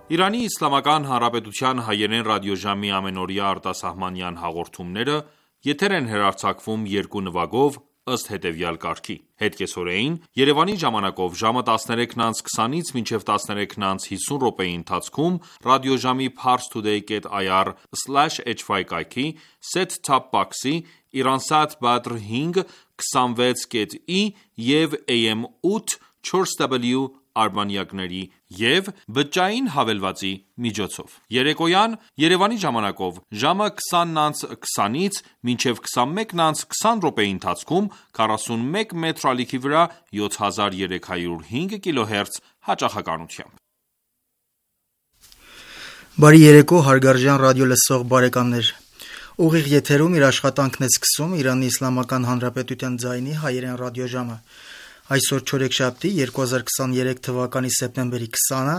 Իրանի Իսլամական Հանրապետության հայերեն ռադիոժամի ամենօրյա արտասահմանյան հաղորդումները եթեր են հեռարձակվում երկու նվագով ըստ հետևյալ կարգի: Հետկեսօրեին Երևանի ժամանակով ժամը 13:20-ից մինչև 13:50 րոպեի ընթացքում ռադիոժամի parstoday.ir/hy կայքի set-top box-ի, Iransat Badr 5 26.i և AM 8 4W արբանյակների և բջջային հավելվածի միջոցով: Երեկոյան Երևանի ժամանակով ժամը 20:20-ից մինչև 21:20 րոպեի ընթացքում 41 մետր ալիքի վրա 7305 կիլոհերց հաճախականությամբ: Բարի երեկո հարգարժան ռադիոլսող բարեկամներ: Ուղիղ եթերում իր աշխատանքն է սկսում Իրանի Իսլամական Հանրապետության ձայնի հայերեն ռադիոժամը: Այսօր չորեքշաբթի 2023 թվականի սեպտեմբերի 20-ը,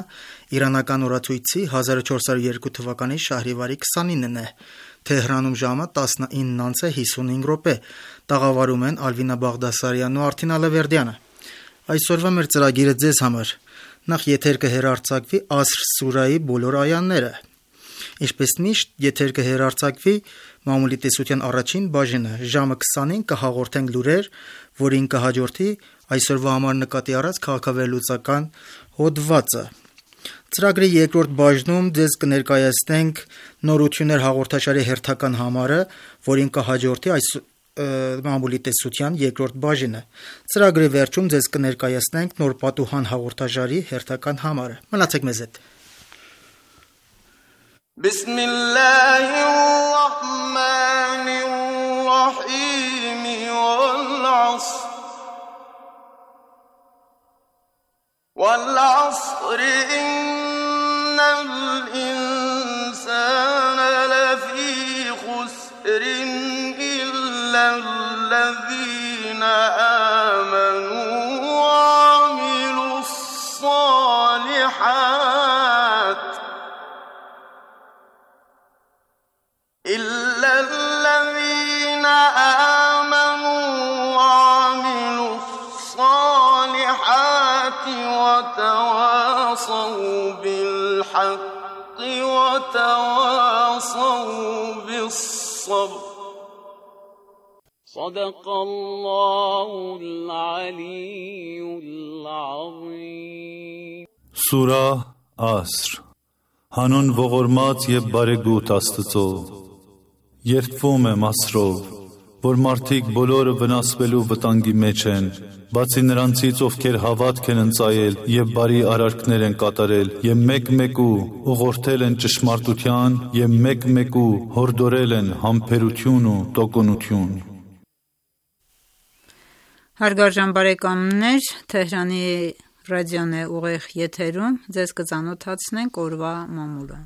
իրանական օրացույցի 1402 թվականի շահրիվարի 29-ն է: Թեհրանում ժամը 19:55, տաղավարում են Ալվինա Բաղդասարյանն ու Արթին Ալավերդյանը: Այսօրվա մեր ծրագիրը ձեզ համար: Նախ եթեր կհեռարձակվի Ասր սուրայի բոլոր այաները: Ինչպես միշտ եթեր կհեռարձակվի մամուլի տեսության առաջին բաժինը: Ժամը 20-ին կհաղորդենք լուրեր, որին կհաջորդի այսօրվա համար նկատի առած քաղաքավերլուծական հոդվածը: Ծրագրի երկրորդ բաժնում ձեզ կներկայացնենք Նորություններ հաղորդաշարի հերթական համարը, որին կհաջորդի մամուլի տեսության երկրորդ բաժինը: Ծրագրի վերջում ձեզ կներկայացնենք Նոր պատուհան հաղորդաշարի հերթական համարը: Մնացեք մեզ հետ: وَالْعَصْرِ إِنَّ الْإِنسَانَ لَفِي خُسْرٍ إِلَّا الَّذِينَ آمَنُوا وَعَمِلُوا الصَّالِحَاتِ وتواصوا بالحق وتواصوا بالصبر صدق الله العلي العظيم Սուրա Ասր Հանուն ողորմած և բարեգութ Աստծո: Երդվում եմ Ասրով, որ մարդիկ բոլորը վնասվելու վտանգի մեջ են, բացի նրանցից, ովքեր հավատք են ընծայել և բարի արարքներ են կատարել և մեկ-մեկու ուղղորդել են ճշմարտության և մեկ-մեկու հորդորել են համբերություն ու տոկունություն: Հարգարժան բարեկամներ, Թեհրանի ռադիոն է ուղիղ եթերում: Ձեզ կծանոթացնենք օրվա մամուլը: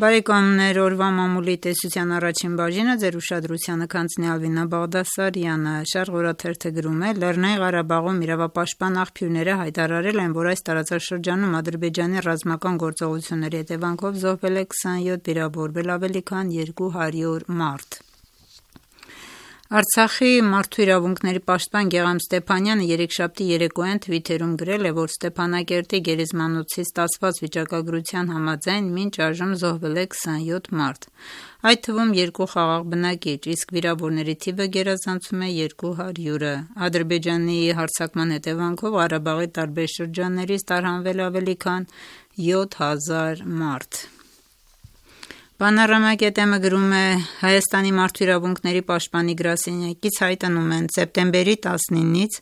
Բարեկամներ, օրվա մամուլի տեսության առաջին բաժինը ձեր ուշադրությանը կհանձնի Ալվինա Բաղդասարյանը: Շարժ օրաթերթը գրում է. Լեռնային Ղարաբաղում իրավապաշտպան աղբյուրները հայտարարել են, որ այս տարածաշրջանում Ադրբեջանի ռազմական գործողությունների հետևանքով զոհվել է 27, վիրավորվել ավելի քան 200 մարդ: Արցախի մարդու իրավունքների պաշտպան Գեղամ Ստեփանյանը երեքշաբթի երեկոյան թվիթերում գրել է, որ Ստեփանակերտի գերեզմանոցի ստացված վիճակագրության համաձայն մինչ այժմ զոհվել է 27 մարդ, այդ թվում 2 խաղաղ բնակիչ, իսկ վիրավորների թիվը գերազանցում է 200-ը: Ադրբեջանի հարձակման հետևանքով Ղարաբաղի տարբեր շրջաններից տարհանվել է ավելի քան 7000 մարդ: Panorama.am-ը գրում է. Հայաստանի մարդու իրավունքների պաշտպանի գրասենյակից հայտնում են. սեպտեմբերի 19-ից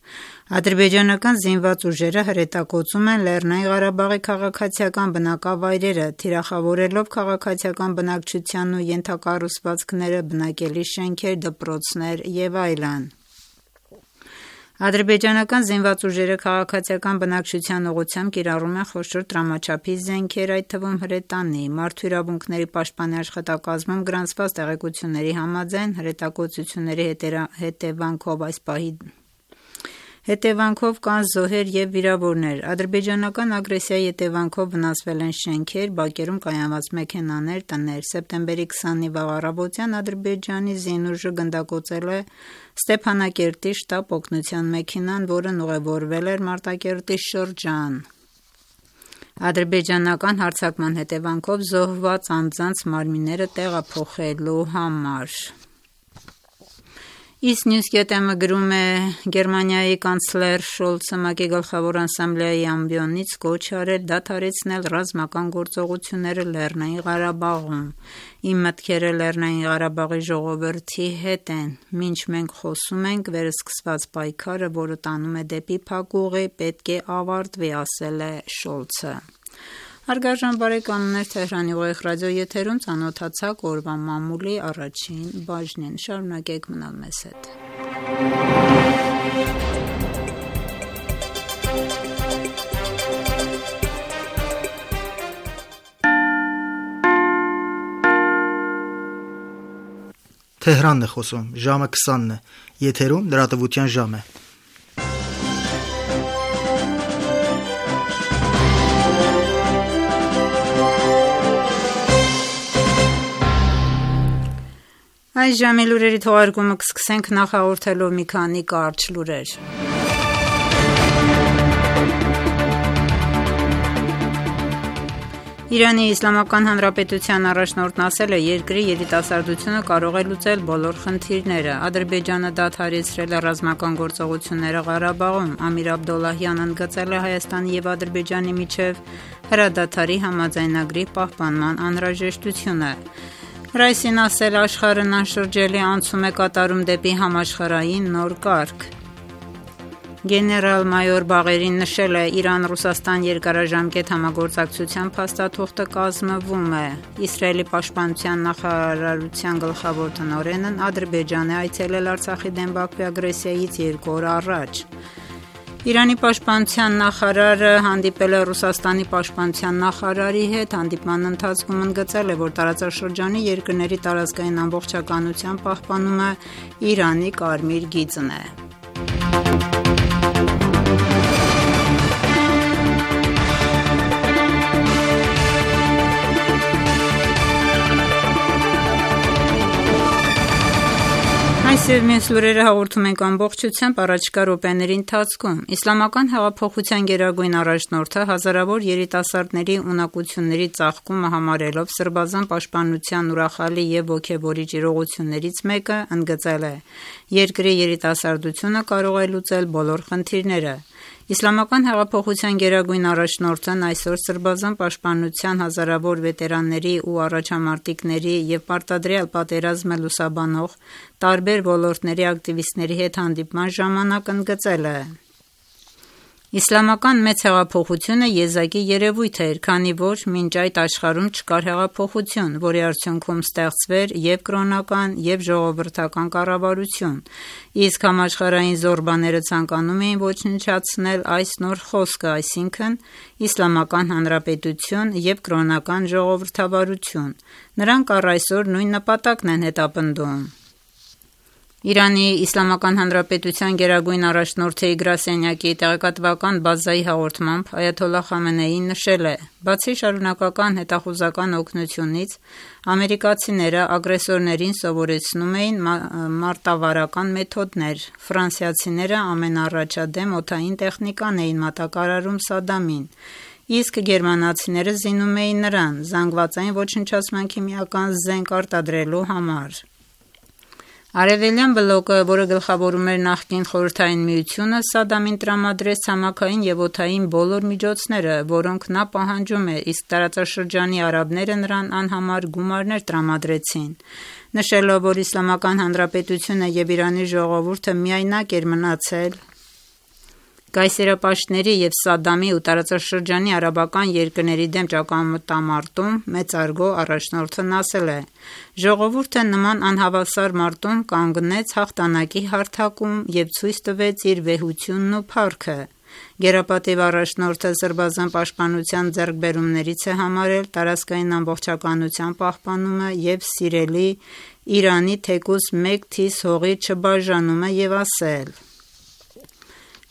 ադրբեջանական զինված ուժերը հրետակոծում են Լեռնային Ղարաբաղի քաղաքացիական բնակավայրերը, թիրախավորելով քաղաքացիական բնակչությանն ու ենթակառուցվածքները, բնակելի շենքեր, դպրոցներ և այլն: Ադրբեջանական զինված ուժերը քաղաքացիական բնակչության ուղղությամբ կիրառում են խոշոր տրամաչափի զենքեր, այդ թվում հրետանի: Մարդու իրավունքների պաշտպանի աշխատակազմում գրանցված տեղեկությունների համաձայն հրետակոծությունների հետևանքով այս պահի հետևանքով կան զոհեր և վիրավորներ։ Ադրբեջանական ագրեսիայի հետևանքով վնասվել են շենքեր, բակերում կայանված մեքենաներ, տներ։ Սեպտեմբերի 20-ի վաղ առավոտյան Ադրբեջանի զինուժը գնդակոծել է Ստեփանակերտի շտապ օգնության մեքենան, որն ուղևորվել էր Մարտակերտի շրջան։ Ադրբեջանական հարձակման հետևանքով զոհված անձանց մարմինները տեղափոխելու համար։ Isnews.am-ը գրում է. Գերմանիայի կանցլեր Շոլցը ՄԱԿ-ի գլխավոր ասամբլեայի ամբիոնից կոչ արել դադարեցնել ռազմական գործողությունները Լեռնային Ղարաբաղում։ Իմ մտքերը Լեռնային Ղարաբաղի ժողովրդի հետ են։ Մինչ մենք խոսում ենք, վերսկսված պայքարը, որը տանում է դեպի փակուղի, պետք է ավարտվի, ասել է Շոլցը։ Հարգարժան բարեկամներ, Թեհրանի ուղիղ ռադիո եթերում ծանոթացաք օրվա մամուլի առաջին բաժնին։ Շարունակեք մնալ մեզ հետ։ Թեհրանն է խոսում, ժամը 20-ն է, եթերում լրատվության ժամ է։ Այս ժամի լուրերի թողարկումը կսկսենք նախ հաղորդելով մի քանի կարճ լուրեր։ Իրանի Իսլամական Հանրապետության առաջնորդն ասել է, երկրի երիտասարդությունը կարող է լուծել բոլոր խնդիրները։ Ադրբեջանը դադարեցրել է ռազմական գործողությունները Ղարաբաղում։ Ամիր Աբդոլլահյանն ընդգծել է Հայաստանի և Ադրբեջանի միջև հրադադարի համաձայնագրի պահպանման անհրաժեշտությունը։ Ռայսին ասել, աշխարհն անշրջելի անցում է կատարում դեպի համաշխարհային նոր կարգ։ Գեներալ-մայոր Բաղերին նշել է, Իրան-Ռուսաստան երկարաժամկետ համագործակցության փաստաթուղթը կազմվում է։ Իսրայելի պաշտպանության նախարարության գլխավոր տնօրենն Ադրբեջան է այցելել Արցախի դեմ Բաքվի ագրեսիայից 2 օր առաջ։ Իրանի պաշտպանության նախարարը հանդիպել է Ռուսաստանի պաշտպանության նախարարի հետ, հանդիպման ընթացքում ընդգծել է, որ տարածաշրջանի երկրների տարածքային ամբողջականության պահպանումը Իրանի կարմիր գիծն է։ Այս և մյուս լուրերը հաղորդում ենք ամբողջությամբ առաջիկա րոպեների ընթացքում։ Իսլամական հեղափոխության գերագույն առաջնորդը հազարավոր երիտասարդների ունակությունների ծաղկումը համարելով սրբազան պաշտպանության ուրախալի և ոգևորիչ իրողություններից մեկը, ընդգծել է. երկրի երիտասարդությունը կարող է լուծել բոլոր խնդիրները։ Իսլամական հեղափոխության գերագույն առաջնորդն այսօր սրբազան պաշտպանության հազարավոր վետերանների ու առաջամարտիկների և պարտադրյալ պատերազմը լուսաբանող տարբեր ոլորտների ակտիվիստների հետ հանդիպման ժամանակ ընդգծել է. Իսլամական մեծ հեղափոխությունը եզակի երևույթ էր, քանի որ մինչ այդ աշխարհում չկար հեղափոխություն, որի արդյունքում ստեղծվեր և կրոնական, և ժողովրդական կառավարություն, իսկ համաշխարհային զորբաները ցանկանում էին ոչնչացնել այս նոր խոսքը, այսինքն Իսլամական Հանրապետություն և կրոնական ժողովրդավարություն։ Նրանք առ այսօր նույն նպատակն են հետապնդում։ Իրանի Իսլամական Հանրապետության գերագույն առաջնորդի գրասենյակի տեղեկատվական բազայի հաղորդմամբ Այաթոլլահ Խամենեին նշել է. բացի շարունակական հետախուզական օգնությունից, ամերիկացիները ագրեսորներին սովորեցնում էին մարտավարական մեթոդներ, ֆրանսիացիները ամենաառաջադեմ օդային տեխնիկան էին մատակարարում Սադամին, իսկ գերմանացիները զինում էին նրան զանգվածային ոչնչացման քիմիական զենք արտադրելու համար։ Արևելյան բլոկը, որը գլխավորում էր նախկին Խորհրդային Միությունը, Սադամին տրամադրեց ցամաքային և օդային բոլոր միջոցները, որոնք նա պահանջում էր, իսկ տարածաշրջանի արաբները նրան անհամար գումարներ տրամադրեցին։ Նշելով, որ Իսլամական Հանրապետությունը և Իրանի ժողովուրդը միայնակ էր մնացել կայսերապաշտների և Սադամի ու տարածաշրջանի արաբական երկրների դեմ ճակատամարտում, մեծարգո առաջնորդն ասել է. ժողովուրդը նման անհավասար մարտում կանգնեց հաղթանակի հարթակում և ցույց տվեց իր վեհությունն ու փառքը։ Գերապատիվ առաջնորդը սրբազան պաշտպանության ձեռքբերումներից է համարել տարածքային ամբողջականության պահպանումը և սիրելի Իրանի թեկուզ մեկ թիզ հողի չբաժանումը և ասել.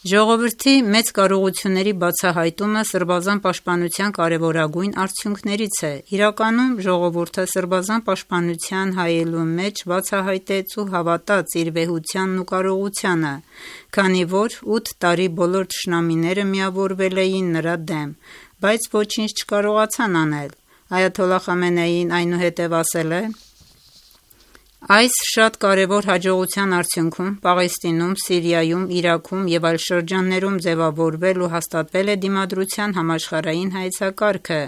Ժողովրդի մեծ կարողությունների բացահայտումը սրբազան պաշտպանության կարևորագույն արդյունքներից է։ Իրականում ժողովուրդը սրբազան պաշտպանության հայելու մեջ բացահայտեց ու հավատաց իր վեհությանն ու կարողությանը, քանի որ 8 տարի բոլոր թշնամիները միավորվել էին նրա դեմ, բայց ոչինչ չկարողացան անել։ Այաթոլլահ Խամենեին այնուհետև ասել է. «Այս շատ կարևոր հաջողության արդյունքում Պաղեստինում, Սիրիայում, Իրաքում և այլ շրջաններում ձևավորվել ու հաստատվել է դիմադրության համաշխարհային հայեցակարգը,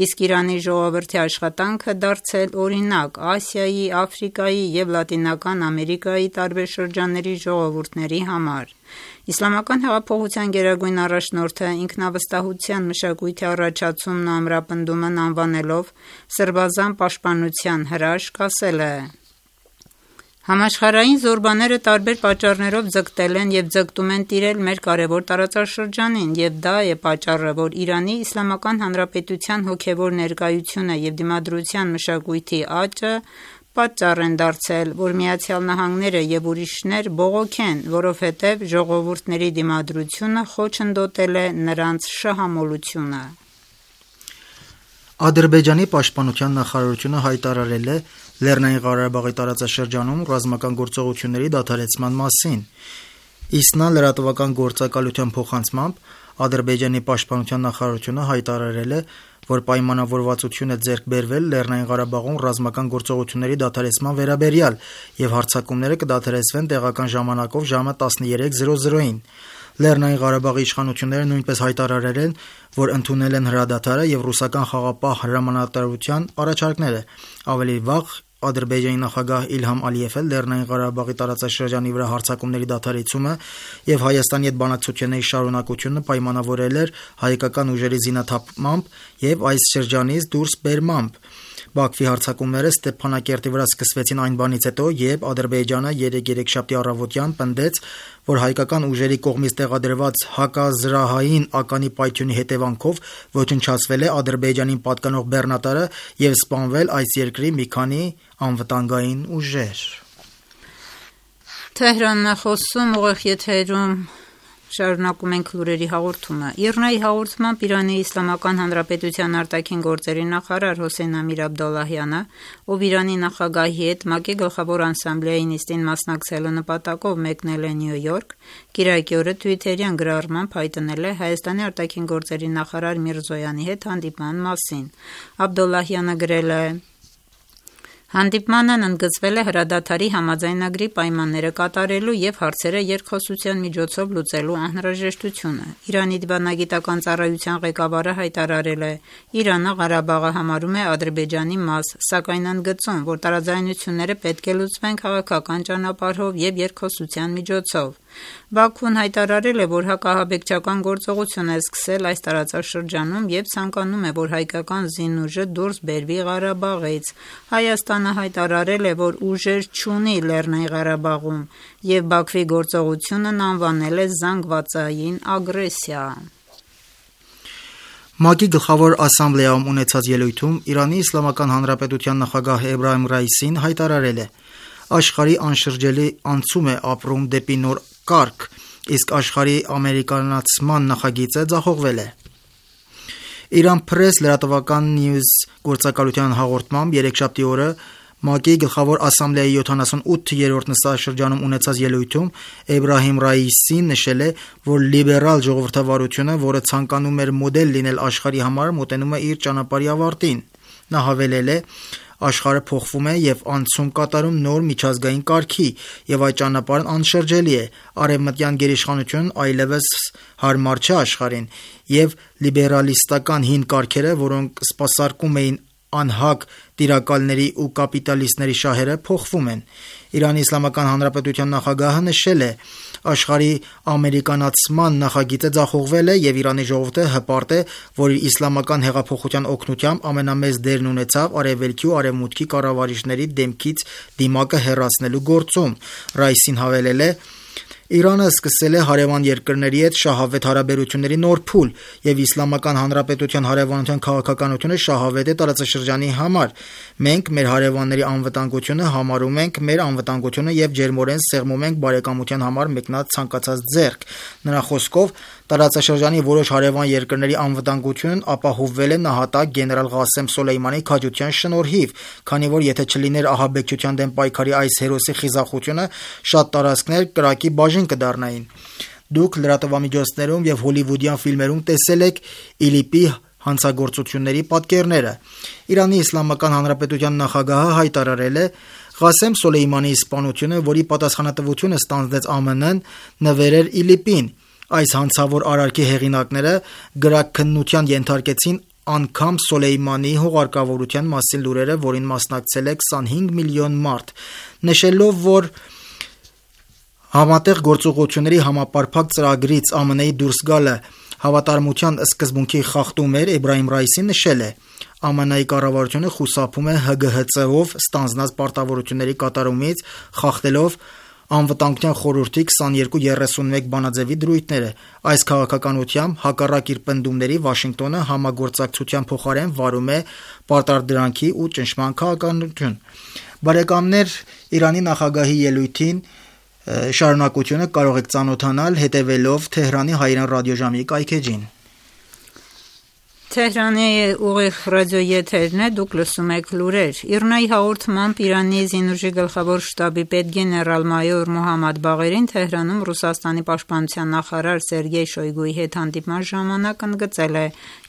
իսկ Իրանի ժողովրդի աշխատանքը դարձել օրինակ Ասիայի, Աֆրիկայի և Լատինական Ամերիկայի տարբեր շրջանների ժողովուրդների համար»։ Իսլամական հեղափոխության գերագույն առաջնորդը ինքնավստահության մշակույթի առաջացումն ու ամրապնդումն անվանելով սրբազան պաշտպանության հրաշք, ասել է. «Համաշխարհային զորբաները տարբեր պատճառներով ձգտել են և ձգտում են տիրել մեր կարևոր տարածաշրջանին, և դա է պատճառը, որ Իրանի Իսլամական Հանրապետության հոգևոր ներկայությունը և դիմադրության մշակույթի աճը պատճառ են դարձել, որ ԱՄՆ-ը և ուրիշներ բողոքեն, որովհետև ժողովուրդների դիմադրությունը խոչընդոտել է նրանց շահամոլությունը»։ Ադրբեջանի պաշտպանության նախարարությունը հայտարարել է Լեռնային Ղարաբաղի տարածաշրջանում ռազմական գործողությունների դադարեցման մասին։ ԻՍՆԱ լրատվական գործակալության փոխանցմամբ Ադրբեջանի պաշտպանության նախարարությունը հայտարարել է, որ պայմանավորվածություն է ձեռք բերվել Լեռնային Ղարաբաղում ռազմական գործողությունների դադարեցման վերաբերյալ և հարձակումները կդադարեցվեն տեղական ժամանակով ժամը 13:00-ին։ Լեռնային Ղարաբաղի իշխանությունները նույնպես հայտարարել են, որ ընդունել են հրադադարը և ռուսական խաղաղապահ հրամանատարության առաջարկները։ Ավելի վաղ Ադրբեջանի նախագահ Իլհամ Ալիևը Լեռնային Ղարաբաղի տարածաշրջանի վրա հարձակումների դադարեցումը և Հայաստանի հետ բանակցությունների շարունակությունը պայմանավորել էր հայկական ուժերի զինաթափմամբ և այս շրջանից դուրս բերմամբ։ Բաքվի հարձակումները Ստեփանակերտի վրա սկսվեցին այն բանից հետո, երբ Ադրբեջանը երեքշաբթի առավոտյան պնդեց, որ հայկական ուժերի կողմից տեղադրված հակազրահային ականի պայթյունի հետևանքով ոչնչացվել է Ադրբեջանին պատկանող բեռնատարը և սպանվել այս երկրի մի քանի անվտանգային ուժեր։ Շարունակում ենք լուրերի հաղորդումը։ ԻՌՆԱ-ի հաղորդմամբ Իրանի Իսլամական Հանրապետության արտաքին գործերի նախարար Հոսեյն Ամիր Աբդոլլահյանը, ով Իրանի նախագահի հետ ՄԱԿ-ի գլխավոր ասամբլեայի նիստին մասնակցելու նպատակով մեկնել է Նյու Յորք, կիրակի օրը Twitter-յան գրառմամբ հայտնել է Հայաստանի արտաքին գործերի նախարար Միրզոյանի հետ հանդիպման մասին։ Աբդոլլահյանը գրել է. «Հանդիպմանն ընդգծվել է հրադադարի համաձայնագրի պայմանները կատարելու և հարցերը երկխոսության միջոցով լուծելու անհրաժեշտությունը։ Իրանի դիվանագիտական ծառայության ղեկավարը հայտարարել է. Իրանը Ղարաբաղը համարում է Ադրբեջանի մաս, սակայն ընդգծում, որ տարաձայնությունները պետք է լուծվեն քաղաքական ճանապարհով և երկխոսության միջոցով։ Բաքուն հայտարարել է, որ հակահաբեկչական գործողություն է սկսել այս տարածաշրջանում և ցանկանում է, որ հայկական զինուժը դուրս բերվի Ղարաբաղից։ Հայաստանը հայտարարել է, որ ուժեր չունի Լեռնային Ղարաբաղում և Բաքվի գործողությունն անվանել է զանգվածային ագրեսիա»։ ՄԱԿ-ի գլխավոր ասամբլեայում ունեցած ելույթում Իրանի Իսլամական Հանրապետության նախագահ Էբրահիմ Ռայիսին հայտարարել է. «Աշխարհի անշրջելի անցում է ապրում դեպի նոր կարգ, իսկ աշխարհի ամերիկանացման նախագիծը ձախողվել է»։ Iran Press լրատվական News գործակալության հաղորդմամբ երեքշաբթի օրը ՄԱԿ-ի գլխավոր ասամբլեայի 78-րդ նստաշրջանում ունեցած ելույթում Էբրահիմ Ռայիսին նշել է, որ լիբերալ ժողովրդավարությունը, որը ցանկանում էր մոդել լինել աշխարհի համար, մոտենում է իր ճանապարհի ավարտին։ Նա հավելել է. «Աշխարհը փոխվում է և անցում կատարում նոր միջազգային կարգի, և այդ ճանապարհն անշրջելի է։ Արևմտյան գերիշխանությունն այլևս հարմար չէ աշխարհին, և լիբերալիստական հին կարգերը, որոնք սպասարկում էին անհակ տիրակալների ու կապիտալիստների շահերը, փոխվում են»։ Իրանի Իսլամական Հանրապետության նախագահը նշել է. «Աշխարհի ամերիկանացման նախագիծը ձախողվել է, և Իրանի ժողովուրդը հպարտ է, որ իր իսլամական հեղափոխության օգնությամբ ամենամեծ դերն ունեցավ Արևելքի ու Արևմուտքի կառավարիչների դեմքից դիմակը հեռացնելու գործում»։ Ռայիսին հավելել է. Իրանը սկսել է հարևան երկրների հետ շահավետ հարաբերությունների նոր փուլ, եւ Իսլամական Հանրապետության հարևանության քաղաքականությունը շահավետ է տարածաշրջանի համար։ Մենք մեր հարևանների անվտանգությունը համարում ենք մեր անվտանգությունը եւ ջերմորեն սեղմում ենք բարեկամության համար մեկնած ցանկացած ձեռք։ Նրա խոսքով, տարածաշրջանի որոշ հարևան երկրների անվտանգությունն ապահովվել է նահատակ գեներալ Ղասեմ Սոլեյմանի քաջության շնորհիվ, քանի որ եթե չլիներ ահաբեկչության դեմ պայքարի այս հերոսի խիզախությունը, շատ տարածքներ կրակի բաժին կդառնային։ Դուք լրատվամիջոցներում եւ հոլիվուդյան ֆիլմերում տեսել եք ԻԼԻՊ-ի հանցագործությունների պատկերները։ Իրանի Իսլամական Հանրապետության նախագահը հայտարարել է. Ղասեմ Սոլեյմանի սպանությունը, որի պատասխանատվությունը ստանձնեց ԱՄՆ-ն, նվերեր ԻԼԻՊ-ին։ Այս հանցավոր արարքի հեղինակները գրաքննության ենթարկեցին անգամ Սոլեյմանի հուղարկավորության մասին լուրերը, որին մասնակցել է 25 միլիոն մարդ, նշելով, որ համատեղ գործողությունների համապարփակ ծրագրից ԱՄՆ-ի դուրս գալը հավատարմության սկզբունքի խախտում էր, Էբրահիմ Ռայիսին նշել է. ԱՄՆ-ի կառավարությունը խուսափում է ՀԳՀԾ-ով ստանձնած պարտավորությունների կատարումից, խախտելով Անվտանգության խորհրդի 2231 բանաձևի դրույթները։ Այս քաղաքականությամբ հակառակ իր պնդումների Վաշինգտոնը համագործակցության փոխարեն վարում է պարտադրանքի ու ճնշման քաղաքականություն։ Բարեկամներ, Իրանի նախագահի ելույթին շարունակությունը կարող եք ծանոթանալ հետևելով Թեհրանի հայրեն ռադիոժամի կայքեջին։ Թեհրանի ուղիղ ռադիոեթերն է, դուք լսում եք լուրեր։ ԻՌՆԱ-ի հաղորդմամբ Իրանի զինուժի գլխավոր շտաբի պետ գեներալ-մայոր Մոհամմադ Բաղերին Թեհրանում Ռուսաստանի պաշտպանության նախարար Սերգեյ Շոյգուի հետ հանդիպման ժամանակ ընդգծել է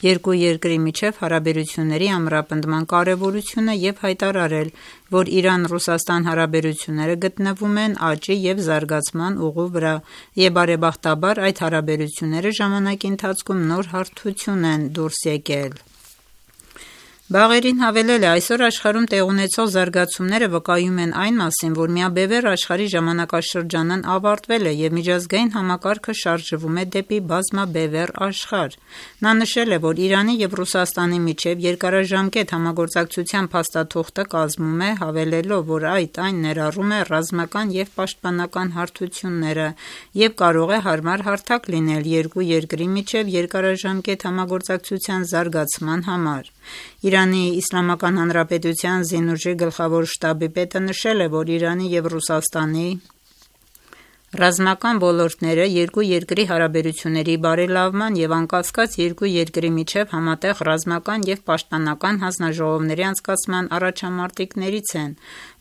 երկու երկրի միջև հարաբերությունների ամրապնդման կարևորությունը եւ հայտարարել, որ Իրան-Ռուսաստան հարաբերությունները գտնվում են աճի եւ զարգացման ուղու վրա եւ բարեբախտաբար այդ հարաբերությունները ժամանակի ընթացքում նոր հարթություն են դուրս եկել։ Բաղերին հավելել է, այսօր աշխարհում տեղ ունեցող զարգացումները վկայում են այն մասին, որ միաբևեռ աշխարհի ժամանակաշրջանն ավարտվել է եւ միջազգային համակարգը շարժվում է դեպի բազմաբևեռ աշխարհ։ Նա նշել է, որ Իրանի եւ Ռուսաստանի միջև երկարաժամկետ համագործակցության փաստաթուղթը կազմում է, հավելելով, որ այն ներառում է ռազմական եւ պաշտպանական հարթությունները եւ կարող է հարմար հարթակ լինել երկու երկրի միջև երկարաժամկետ համագործակցության զարգացման համար։ Իրանի Իսլամական Հանրապետության զինուժի գլխավոր շտաբի պետը նշել է, որ Իրանի եւ Ռուսաստանի ռազմական ոլորտները երկու երկրի հարաբերությունների բարելավման եւ անկասկած երկու երկրի միջև համատեղ ռազմական եւ պաշտպանական հանձնաժողովների անցկացման առաջամարտիկներից են։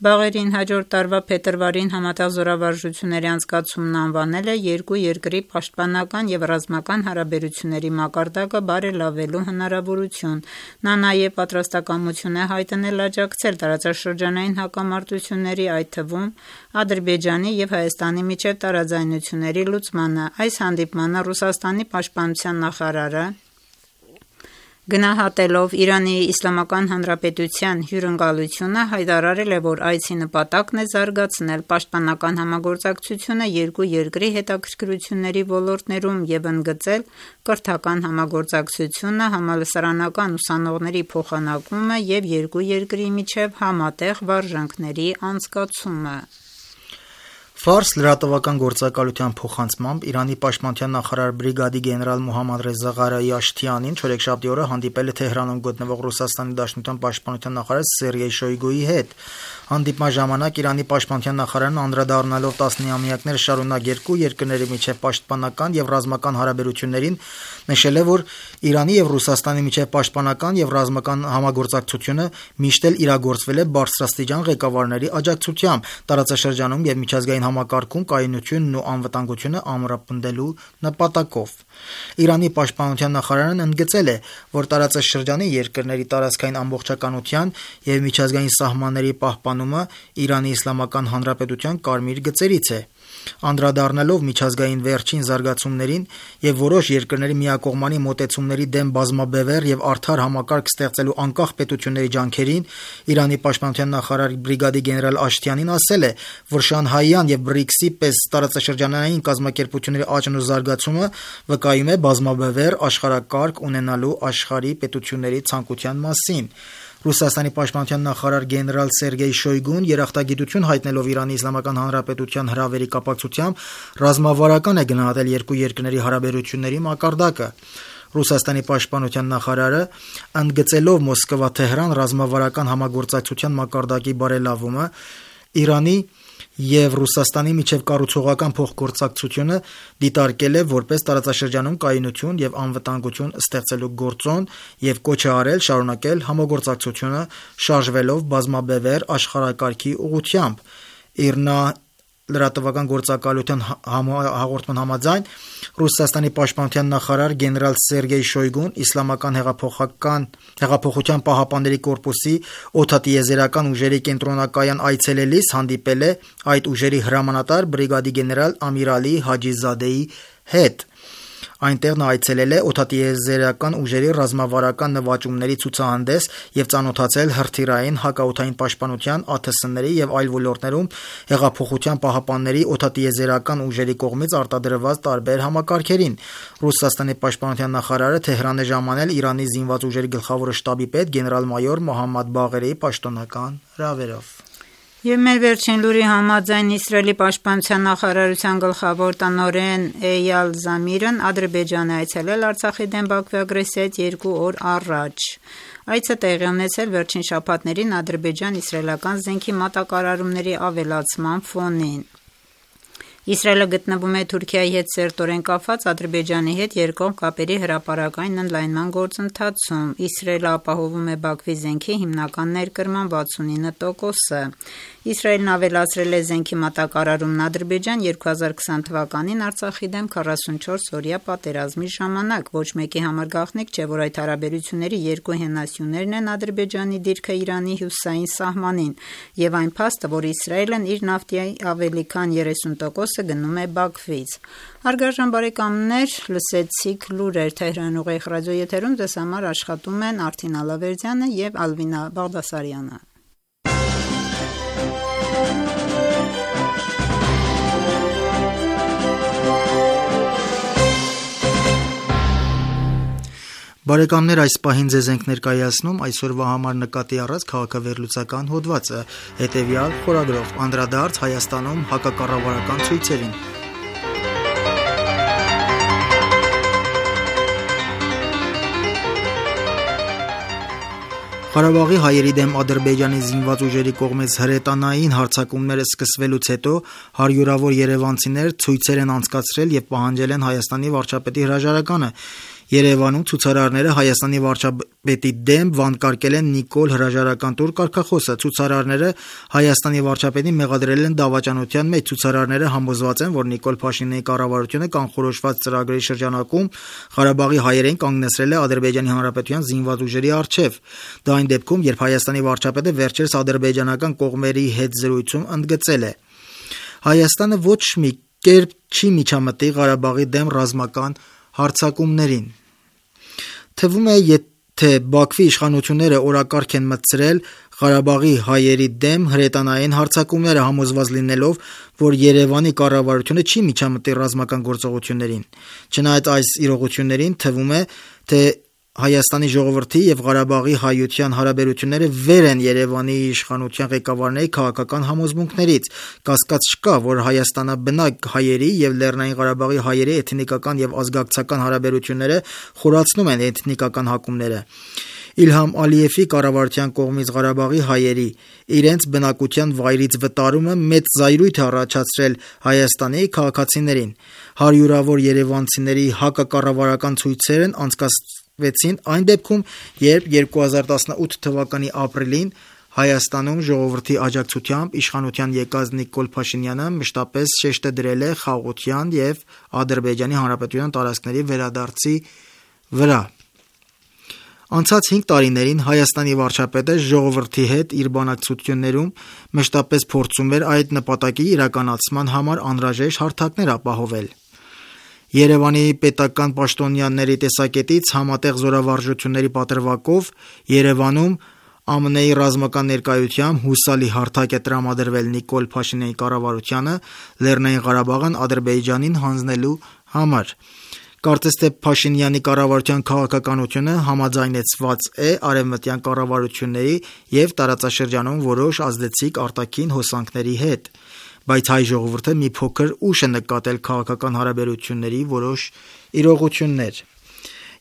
Բաղերին հաջորդ տարվա փետրվարին համատեղ զորավարժությունների անցկացումն անվանել է երկու երկրի պաշտպանական եւ ռազմական հարաբերությունների մակարդակը բարելավելու հնարավորություն։ Նա նաեւ պատրաստակամություն է հայտնել աջակցել տարածաշրջանային հակամարտությունների, այդ թվում Ադրբեջանի եւ Հայաստանի միջև տարաձայնությունների լուծմանը։ Այս հանդիպմանը Ռուսաստանի պաշտպանության նախարարը գնահատելով Իրանի Իսլամական Հանրապետության հյուրընկալությունը հայտարարել է, որ այցի նպատակն է զարգացնել պաշտպանական համագործակցությունը երկու երկրի հետաքրքրությունների ոլորտներում եւ ընդգծել կրթական համագործակցությունը, համալսարանական ուսանողների փոխանակումը եւ երկու երկրի միջև համատեղ վարժանքների անցկացումը։ Ֆարս լրատվական գործակալության փոխանցմամբ Իրանի պաշտպանության նախարար բրիգադի գեներալ Մոհամմադ Ռեզա Ղարայի Աշթիանին չորեքշաբթի օրը հանդիպել է Թեհրանում գտնվող Ռուսաստանի Դաշնության պաշտպանության նախարար Սերգեյ Շոյգուի հետ։ Հանդիպման ժամանակ Իրանի պաշտպանության նախարարն անդրադառնալով 10-ամյակներ շարունակ երկու երկրների միջև պաշտպանական եւ ռազմական հարաբերություններին, նշել է, որ Իրանի եւ Ռուսաստանի միջև պաշտպանական եւ ռազմական համագործակցությունը միշտ էլ իրագործվել է բարձրաստիճան ղեկավարների աջակցությամբ տարածաշրջանում եւ միջազգային համակարգում կայունությունն ու անվտանգությունը ամրապնդելու նպատակով։ Իրանի պաշտպանության նախարարն ընդգծել է, որ տարածաշրջանի երկրների տարածքային ամբողջականության եւ միջազգային սահմանների պահպանումը Իրանի Իսլամական Հանրապետության կարմիր գծերից է։ Անդրադառնալով միջազգային վերջին զարգացումներին եւ որոշ երկրների միակողմանի մոտեցումների դեմ բազմաբևեռ եւ արդար համակարգ ստեղծելու անկախ պետությունների ջանքերին, Իրանի պաշտպանության նախարար բրիգադի գեներալ Աշթիանին ասել է, որ Շանհայյան եւ BRICS-ի պես տարածաշրջանային կազմակերպությունների աճն ու զարգացումը վկայում է բազմաբևեռ աշխարհակարգ ունենալու աշխարհի պետությունների ցանկության մասին։ Ռուսաստանի պաշտպանության նախարար գեներալ Սերգեյ Շոյգուն երախտագիտություն հայտնելով Իրանի Իսլամական Հանրապետության հրավերի կապակցությամբ ռազմավարական է գնահատել երկու երկրների հարաբերությունների մակարդակը։ Ռուսաստանի պաշտպանության նախարարը ընդգծելով Մոսկվա-Թեհրան ռազմավարական համագործակցության մակարդակի բարելավումը, Իրանի եւ Ռուսաստանի միջև կառուցողական փոխգործակցությունը դիտարկել է որպես տարածաշրջանում կայունություն եւ անվտանգություն ստեղծելու գործոն եւ կոչ է արել շարունակել համագործակցությունը շարժվելով բազմաբևեռ աշխարհակարգի ուղղությամբ։ ԻՌՆԱ լրատվական գործակալության հաղորդման համաձայն Ռուսաստանի պաշտպանության նախարար գեներալ Սերգեյ Շոյգուն Իսլամական հեղափոխության պահապանների կորպուսի օդատիեզերական ուժերի կենտրոնակայան այցելելիս հանդիպել է այդ ուժերի հրամանատար բրիգադի գեներալ Ամիր Ալի Հաջիզադեի հետ։ Այնտեղ նա այցելել է օդատիեզերական ուժերի ռազմավարական նվաճումների ցուցահանդես եւ ծանոթացել հրթիռային հակաօդային պաշտպանության, ԱԹՍ-ների եւ այլ ոլորտներում հեղափոխության պահապանների օդատիեզերական ուժերի կողմից արտադրված տարբեր համակարգերին։ Ռուսաստանի պաշտպանության նախարարը Թեհրան է ժամանել Իրանի զինված ուժերի գլխավոր շտաբի պետ գեներալ-մայոր Մոհամմադ Բաղերիի պաշտոնական հրավերով։ Եվ մեր վերջին լուրի համաձայն Իսրայելի պաշտպանության նախարարության գլխավոր տնօրեն Էյալ Զամիրն Ադրբեջան է այցելել Արցախի դեմ Բաքվի ագրեսիայից 2 օր առաջ։ Այցը տեղի ունեցել վերջին շաբաթներին ադրբեջան-իսրայելական զենքի մատակարարումների ավելացման ֆոնին։ Իսրայելը գտնվում է Թուրքիայի հետ սերտորեն կապված Ադրբեջանի հետ երկկողմ կապերի հրապարակային ընդլայնման գործընթացում։ Իսրայելը ապահովում է Բաքվի զենքի հիմնական ներկրման 69%-ը։ Իսրայելն ավելացրել է զենքի մատակարարումն Ադրբեջան 2020 թվականին Արցախի դեմ 44-օրյա պատերազմի ժամանակ։ Ոչ մեկի համար գաղտնիք չէ, որ այդ հարաբերությունների երկու հենասյուներն են Ադրբեջանի դիրքը Իրանի հյուսիսային սահմանին եւ այն փաստը, որ Իսրայելն իր նավթի ավելի քան 30% գնում է Բաքվից։ Հարգարժան բարեկամներ, լսեցիք լուրեր Թեհրան ուղիղ ռադիոեթերում ձեզ համար աշխատում են Արթին Ալավերդյանը եւ Ալվինա Բաղդասարյանը։ Բարեկամներ, այս պահին ձեզ ենք ներկայացնում այսօրվա համար նկատի առած քաղաքավերլուծական հոդվածը, հետևյալ խորագրով՝ անդրադարձ Հայաստանում հակակառավարական ցույցերին։ Ղարաբաղի հայերի դեմ Ադրբեջանի զինված ուժերի կողմից հրետանային հարձակումները սկսվելուց հետո հարյուրավոր երևանցիներ ցույցեր են անցկացրել եւ պահանջել են Հայաստանի վարչապետի հրաժարականը։ Երևանում ցուցարարները Հայաստանի վարչապետի դեմ վանկարկել են Նիկոլ հրաժարական տուր կարգախոսը։ Ցուցարարները Հայաստանի վարչապետին մեղադրել են դավաճանության մեջ։ Ցուցարարները համոզված են, որ Նիկոլ Փաշինյանի կառավարությունը կանխորոշված ծրագրերի շրջանակում Ղարաբաղի հայերեն կանգնեցրել է Ադրբեջանի Հանրապետության զինված ուժերի առջև։ Դա այն դեպքում, երբ Հայաստանի վարչապետը վերջերս ադրբեջանական կողմերի հետ զրույցում ընդգծել է. Հայաստանը ոչ մի կերպ չի միջամտի Ղարաբաղի դեմ ռազմական հարձակումներին։ Թվում է, եթե Բաքվի իշխանությունները օրակարգ են մտցրել Ղարաբաղի հայերի դեմ հրետանային հարձակումները, համոզված լինելով, որ Երևանի կառավարությունը չի միջամտի ռազմական գործողություններին։ Չնայած այս իրողություններին, թվում է, թե Հայաստանի ժողովրդի եւ Ղարաբաղի հայության հարաբերությունները վեր են Երևանի իշխանության ղեկավարների քաղաքական համոզմունքներից։ Կասկած չկա, որ Հայաստանաբնակ հայերի եւ Լեռնային Ղարաբաղի հայերի էթնիկական եւ ազգակցական հարաբերությունները խորացնում են էթնիկական հակումները։ Իլհամ Ալիևի կառավարության կողմից Ղարաբաղի հայերի իրենց բնակության վայրից վտարումը մեծ զայրույթ է առաջացրել Հայաստանի քաղաքացիներին։ Հարյուրավոր երևանցիների հակակառավարական ցույցերն անցկացվեցին այն դեպքում, երբ 2018 թվականի ապրիլին Հայաստանում ժողովրդի աջակցությամբ իշխանության եկած Նիկոլ Փաշինյանը մշտապես շեշտ է դրել է խաղաղության եւ Ադրբեջանի Հանրապետության տարածքների վերադարձի վրա։ Անցած 5 տարիներին Հայաստանի վարչապետը ժողովրդի հետ իր բանակցություններում մշտապես փորձում էր այդ նպատակի իրականացման համար անհրաժեշտ հարթակներ ապահովել։ Երևանի պետական պաշտոնյաների տեսակետից համատեղ զորավարժությունների պատրվակով Երևանում ԱՄՆ-ի ռազմական ներկայությամբ հուսալի հարթակ է տրամադրվել Նիկոլ Փաշինյանի կառավարությանը Լեռնային Ղարաբաղն Ադրբեջանին հանձնելու համար։ Կարծես թե Փաշինյանի կառավարության քաղաքականությունը համաձայնեցված է արևմտյան կառավարությունների եւ տարածաշրջանում որոշ ազդեցիկ արտաքին հոսանքների հետ, բայց հայ ժողովուրդը մի փոքր ուշ է նկատել քաղաքական հարաբերությունների որոշ իրողություններ։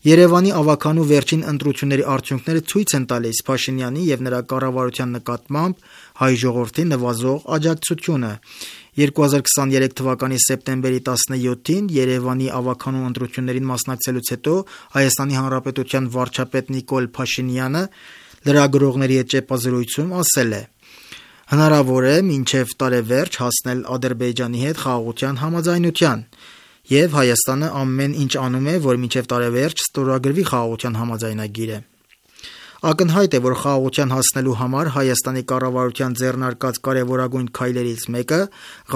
Երևանի ավագանու վերջին ընտրությունների արդյունքները ցույց են տալիս Փաշինյանի եւ նրա կառավարության նկատմամբ հայ ժողովրդի նվազող աջակցությունը։ 2023 թվականի սեպտեմբերի 17-ին Երևանի ավագանու ընտրություններին մասնակցելուց հետո Հայաստանի Հանրապետության վարչապետ Նիկոլ Փաշինյանը լրագրողների հետ ճեպազրույցում ասել է. հնարավոր է մինչև տարեվերջ հասնել Ադրբեջանի հետ խաղաղության համաձայնության, եւ Հայաստանը ամեն ինչ անում է, որ մինչև տարեվերջ ստորագրվի խաղաղության համաձայնագիրը։ Ակնհայտ է, որ խաղաղության հասնելու համար Հայաստանի կառավարության ձեռնարկած կարևորագույն քայլերից մեկը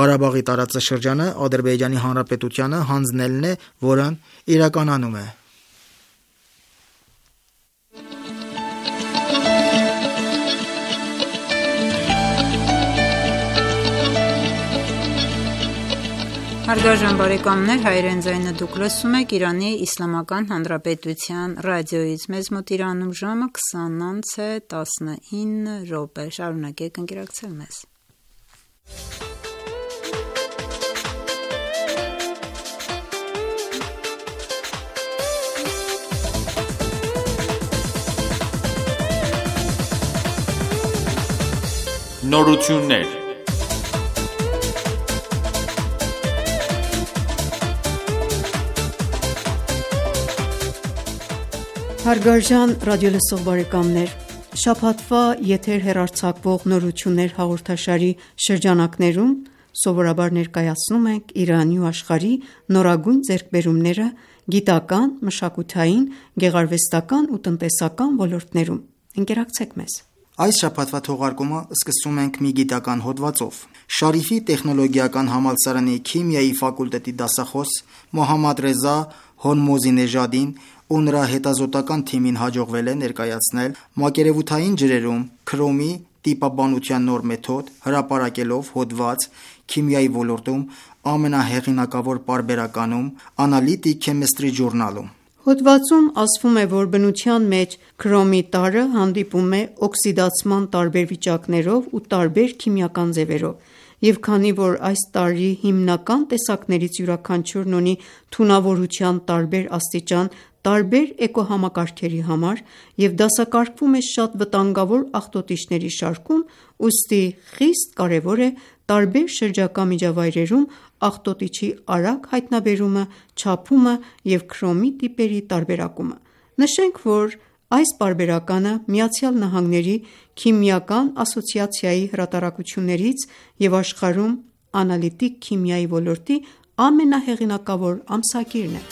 Ղարաբաղի տարածաշրջանը Ադրբեջանի Հանրապետությանը հանձնելն է, որն իրականանում է։ Հարգարժան բարեկամներ, Հայերեն ձայնը դուք լսում եք Իրանի Իսլամական Հանրապետության ռադիոյից։ Մեզ մոտ Իրանում ժամը 20:19 Շարունակեք ընկերակցել մեզ։ Նորություններ։ Հարգարժան ռադիոլսող բարեկամներ, շաբաթվա եթեր հեռարձակվող նորություններ հաղորդաշարի շրջանակներում սովորաբար ներկայացնում ենք Իրանի ու աշխարհի նորագույն ձեռքբերումները գիտական, մշակութային, գեղարվեստական ու տնտեսական ոլորտներում։ Ընկերակցեք մեզ։ Այս շաբաթվա թողարկումը սկսում ենք մի գիտական հոդվածով։ Շարիֆի տեխնոլոգիական համալսարանի քիմիայի ֆակուլտետի դասախոս Մոհամմադ Ռեզա Հորմոզինեժադին ու նրա հետազոտական թիմին հաջողվել է ներկայացնել մակերևութային ջրերում քրոմի տիպաբանության նոր մեթոդ, հրապարակելով հոդված քիմիայի ոլորտում ամենահեղինակավոր պարբերականում Analytic Chemistry Journal-ում։ Հոդվածում ասվում է, որ բնության մեջ քրոմի տարրը հանդիպում է օքսիդացման տարբեր վիճակներով ու տարբեր քիմիական ձևերով, եւ քանի որ այս տարրի հիմնական տեսակներից յուրաքանչյուրն ունի թունավորության տարբեր աստիճան տարբեր էկոհամակարգերի համար եւ դասակարգվում է շատ վտանգավոր աղտոտիչների շարքում, ուստի խիստ կարեւոր է տարբեր շրջակա միջավայրերում աղտոտիչի արագ հայտնաբերումը, չափումը եւ քրոմի տիպերի տարբերակումը։ Նշենք, որ այս պարբերականը ԱՄՆ-ի քիմիական ասոցիացիայի հրատարակություններից եւ աշխարհում անալիտիկ քիմիայի ոլորտի ամենահեղինակավոր ամսագիրն է։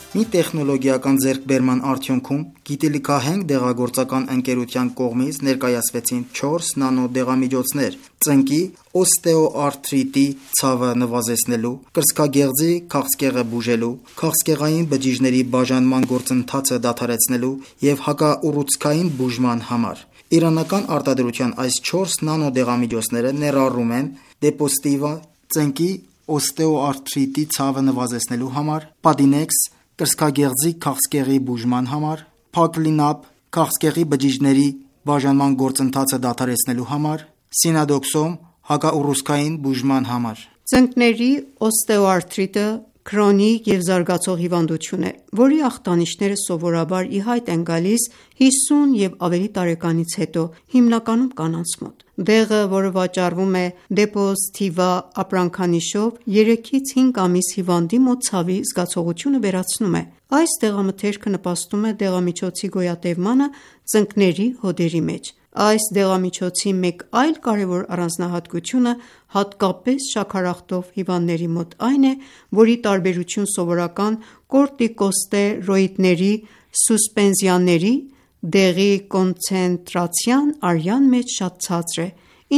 Մի տեխնոլոգիական ձեռքբերման արդյունքում գիտելիքահենք դեղագործական ընկերության կողմից ներկայացվեցին 4 նանո դեղամիջոցներ ծնկի օստեոարթրիտի ցավը նվազեցնելու, կրծքագեղձի քաղցկեղը բուժելու, քաղցկեղային բջիջների բաժանման գործընթացը դադարեցնելու եւ հակաուռուցքային բուժման համար։ Իրանական արտադրության այս 4 նանո դեղամիջոցները ներառում են Depo-Stiva ծնկի օստեոարթրիտի ցավը նվազեցնելու համար, Padinex կրծքագեղձի քաղցկեղի բուժման համար, Paclinac քաղցկեղի բջիջների բաժանման գործընթացը դադարեցնելու համար, Sinadoxone հակաուռուցքային բուժման համար։ Ծնկների օստեոարթրիտը քրոնիկ եւ զարգացող հիվանդություն է, որի ախտանիշները սովորաբար ի հայտ են գալիս 50 եւ ավելի տարեկանից հետո, հիմնականում կանանց մոտ։ Դեղը, որը վաճառվում է Depo-Stiva ապրանքանիշով, 3-ից 5 ամիս հիվանդի մոտ ցավի զգացողությունը վերացնում է։ Այս դեղամթերքը նպաստում է դեղամիջոցի գոյատևմանը ծնկների հոդերի մեջ։ Այս դեղամիջոցի մեկ այլ կարևոր առանձնահատկությունը հատկապես շաքարախտով հիվանդների մոտ այն է, որի տարբերություն սովորական կորտիկոստերոիդների սուսպենզիաների, դեղի կոնցենտրացիան արյան մեջ շատ ցածր է,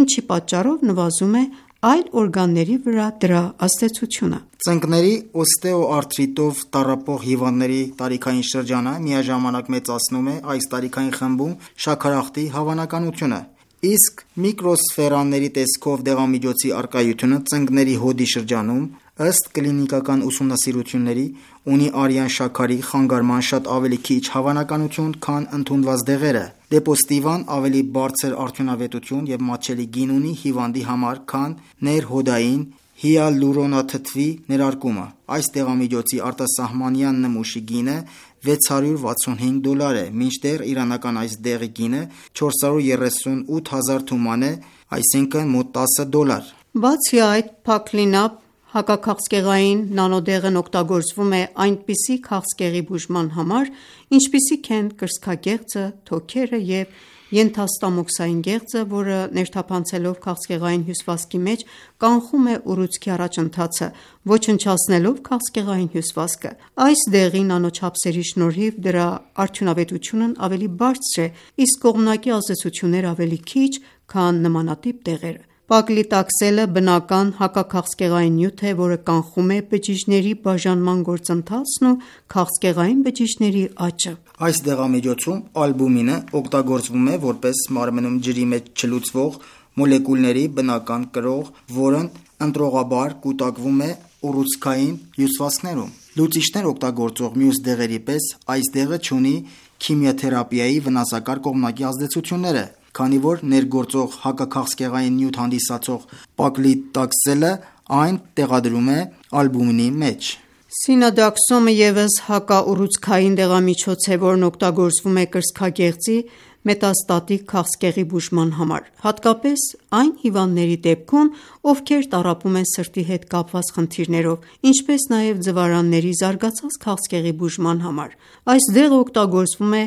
ինչի պատճառով նվազում է այլ օրգանների վրա դրա ազդեցությունը։ Ծնկների օստեոարթրիտով տառապող հիվանդների տարիքային շրջանը միաժամանակ մեծացնում է այս տարիքային խմբում շաքարախտի հավանականությունը, իսկ միկրոսֆերաների տեսքով դեղամիջոցի առկայությունը ծնկների հոդի շրջանում, ըստ կլինիկական ուսումնասիրությունների, ունի արյան շաքարի խանգարման շատ ավելի քիչ հավանականություն, քան ընդունված դեղերը։ Դեպոստիվան ավելի բարձր արդյունավետություն և մատչելի գին ունի հիվանդի համար, քան ներհոդային հիալուրոնաթթվի ներարկումը։ Այս դեղամիջոցի արտասահմանյան նմուշի գինը $665 է, մինչդեռ իրանական այս դեղի գինը 438,000 թուման է, այսինքն մոտ $10։ Բացի այդ, Փակլինապ հակաքաղցկեղային նանոդեղն օգտագործվում է այնպիսի քաղցկեղի բուժման համար, ինչպիսիք են կրծքագեղձը, թոքերը և ենթաստամոքսային գեղձը, որը ներթափանցելով քաղցկեղային հյուսվածքի մեջ կանխում է ուռուցքի առաջընթացը, ոչնչացնելով քաղցկեղային հյուսվածքը։ Այս դեղի նանոչափսերի շնորհիվ դրա արդյունավետությունն ավելի բարձր է, իսկ կողմնակի ազդեցությունները ավելի քիչ, քան նմանատիպ դեղերը։ Պակլիտաքսելը բնական հակաքաղցկեղային նյութ է, որը կանխում է բջիջների բաժանման գործընթացն ու քաղցկեղային բջիջների աճը։ Այս դեղամիջոցում ալբումինը օգտագործվում է որպես մարմնում ջրի մեջ չլուծվող մոլեկուլների բնական կրող, որն ընտրողաբար կուտակվում է ուռուցքային հյուսվածքներում։ Լուծիչներ օգտագործող մյուս դեղերի պես այս դեղը չունի քիմիաթերապիայի վնասակար կողմնակի ազդեցությունները, քանի որ ներգործող հակաքաղցկեղային նյութ հանդիսացող պակլիտաքսելը այն տեղադրում է ալբումինի մեջ։ Սինադաքսոմը ևս հակաուռուցքային դեղամիջոց է, որն օգտագործվում է կրծքագեղձի մետաստատիկ քաղցկեղի բուժման համար, հատկապես այն հիվանդների դեպքում, ովքեր տառապում են սրտի հետ կապված խնդիրներով, ինչպես նաև ձվարանների զարգացած քաղցկեղի բուժման համար։ Այս դեղը օգտագործվում է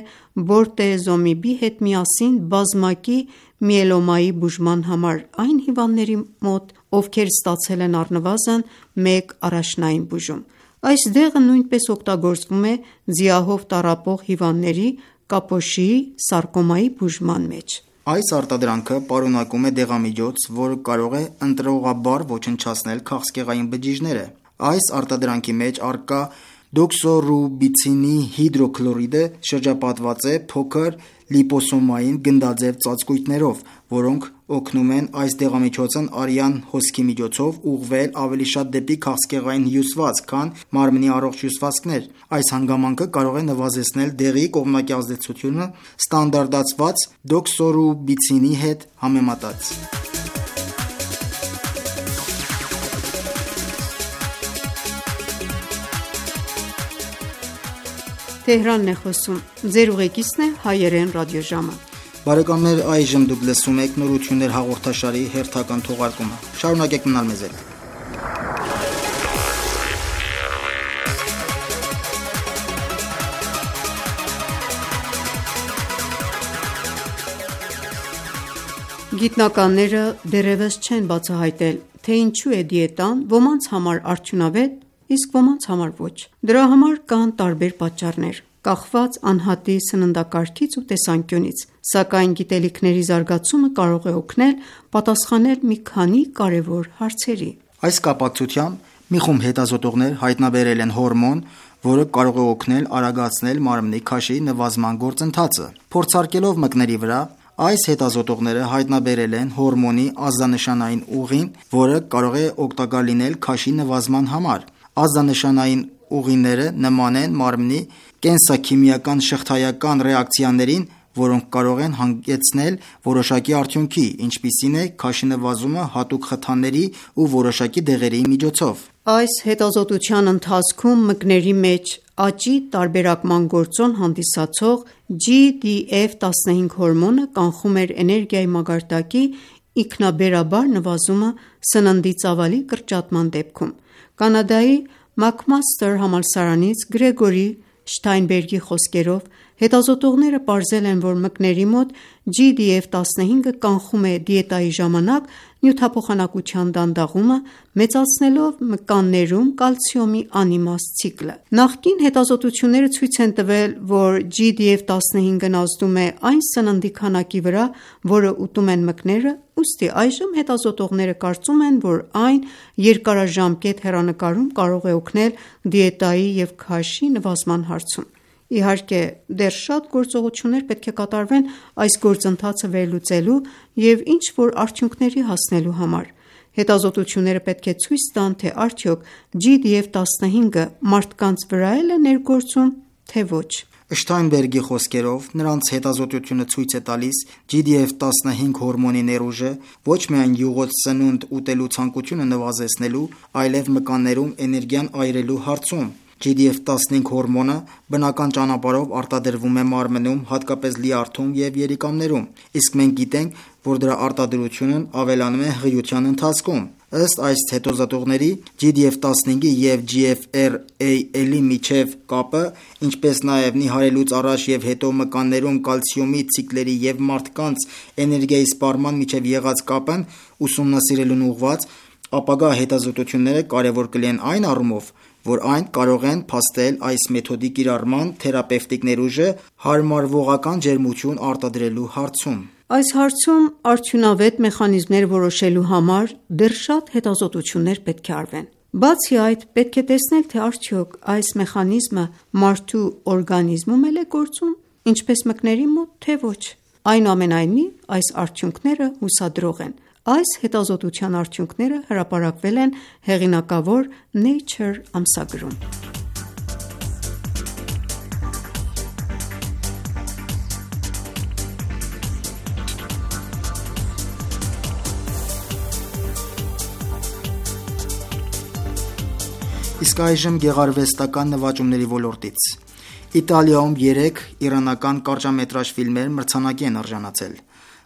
բորտեզոմիբի հետ միասին բազմակի միելոմայի բուժման համար այն հիվանդների մոտ, ովքեր ստացել են առնվազն 1 առաջնային բուժում։ Այս դեղը նույնպես օգտագործվում է ձիահով տառապող հիվանդների կապոշիի սարկոմայի բուժման մեջ։ Այս արտադրանքը պարունակում է դեղամիջոց, որը կարող է ընտրողաբար ոչնչացնել քաղցկեղային բջիջները։ Այս արտադրանքի մեջ առկա դոքսոռուբիցինի հիդրոքլորիդը շրջապատված է փոքր լիպոսոմային գնդաձև ծածկույթներով, որոնք օգնում են այս դեղամիջոցն արյան հոսքի միջոցով ուղղվել ավելի շատ դեպի քաղցկեղային հյուսվածք, քան մարմնի առողջ հյուսվածքներ։ Այս հանգամանքը կարող է նվազեցնել դեղի կողմնակի ազդեցությունը ստանդարտացված դոքսոռուբիցինի հետ համեմատած։ Բարեկամներ, այժմ դուք լսում եք նորություններ հաղորդաշարի հերթական թողարկումը։ Շարունակեք մնալ մեզ հետ։ Գիտնականները դեռևս չեն բացահայտել, թե ինչու է դիետան ոմանց համար արդյունավետ, իսկ ոմանց համար ոչ։ Դրա համար կան տարբեր պատճառներ, կախված անհատի սննդակարգից ու տեսանկյունից, սակայն գիտելիքների զարգացումը կարող է օգնել պատասխանել մի քանի կարևոր հարցերի։ Այս կապակցությամբ մի խումբ հետազոտողներ հայտնաբերել են հորմոն, որը կարող է օգնել արագացնել մարմնի քաշի նվազման գործընթացը։ Փորձարկելով մկների վրա, այս հետազոտողները հայտնաբերել են հորմոնի ազդանշանային ուղին, որը կարող է օգտակար լինել քաշի նվազման համար։ Ազդանշանային ուղիները նման են մարմնի կենսաքիմիական շղթայական ռեակցիաներին, որոնք կարող են հանգեցնել որոշակի արդյունքի, ինչպիսին է քաշի նվազումը հատուկ խթանների ու որոշակի դեղերի միջոցով։ Այս հետազոտության ընթացքում մկների մեջ աճի տարբերակման գործոն հանդիսացող GDF-15 հորմոնը կանխում էր էներգիայի մակարդակի ինքնաբերաբար նվազումը սննդի ծավալի կրճատման դեպքում։ Կանադայի Մակմաստեր համալսարանից Գրեգորի Շթայնբերգի խոսքերով, հետազոտողները պարզել են, որ մկների մոտ GDF-15-ը կանխում է դիետայի ժամանակ նյութափոխանակության դանդաղումը, մեծացնելով մկաններում կալցիումի անիմաստ ցիկլը։ Նախկին հետազոտությունները ցույց են տվել, որ GDF-15-ն ազդում է այն սննդի քանակի վրա, որը ուտում են մկները, ուստի այժմ հետազոտողները կարծում են, որ այն երկարաժամկետ հեռանկարում կարող է օգնել դիետայի և քաշի նվազման հարցում։ Իհարկե, դեռ շատ գործողություններ պետք է կատարվեն այս գործընթացը վերլուծելու և ինչ-որ արդյունքների հասնելու համար։ Հետազոտությունները պետք է ցույց տան, թե արդյոք GDF-15-ը մարդկանց վրա է ներգործում, թե ոչ։ Շթայնբերգի խոսքերով, նրանց հետազոտությունը ցույց է տալիս GDF-15 հորմոնի ներուժը ոչ միայն յուղոտ սնունդ ուտելու ցանկությունը նվազեցնելու, այլև մկաններում էներգիան այրելու հարցում։ GDF-15 հորմոնը բնական ճանապարհով արտադրվում է մարմնում, հատկապես լյարդում և երիկամներում, իսկ մենք գիտենք, որ դրա արտադրությունն ավելանում է հղիության ընթացքում։ Ըստ այս հետազոտողների, GDF-15-ի և GFR-AL-ի միջև կապը, ինչպես նաև նիհարելուց առաջ և հետո մկաններում կալցիումի ցիկլերի և մարդկանց էներգիայի սպառման միջև եղած կապն ուսումնասիրելուն ուղղված ապագա հետազոտությունները կարևոր կլինեն այն առումով, որ այն կարող են փաստել այս մեթոդի կիրառման թերապևտիկ ներուժը հարմարվողական ջերմություն արտադրելու հարցում։ Այս հարցում արդյունավետ մեխանիզմներ որոշելու համար դեռ շատ հետազոտություններ պետք է արվեն։ Բացի այդ, պետք է տեսնել, թե արդյոք այս մեխանիզմը մարդու օրգանիզմում էլ է գործում, ինչպես մկների մոտ, թե ոչ։ Այնուամենայնիվ, այս արդյունքները հուսադրող են։ Այս հետազոտության արդյունքները հրապարակվել են հեղինակավոր Nature ամսագրում։ Իսկ այժմ գեղարվեստական նվաճումների ոլորտից։ Իտալիայում 3 իրանական կարճամետրաժ ֆիլմեր մրցանակի են արժանացել։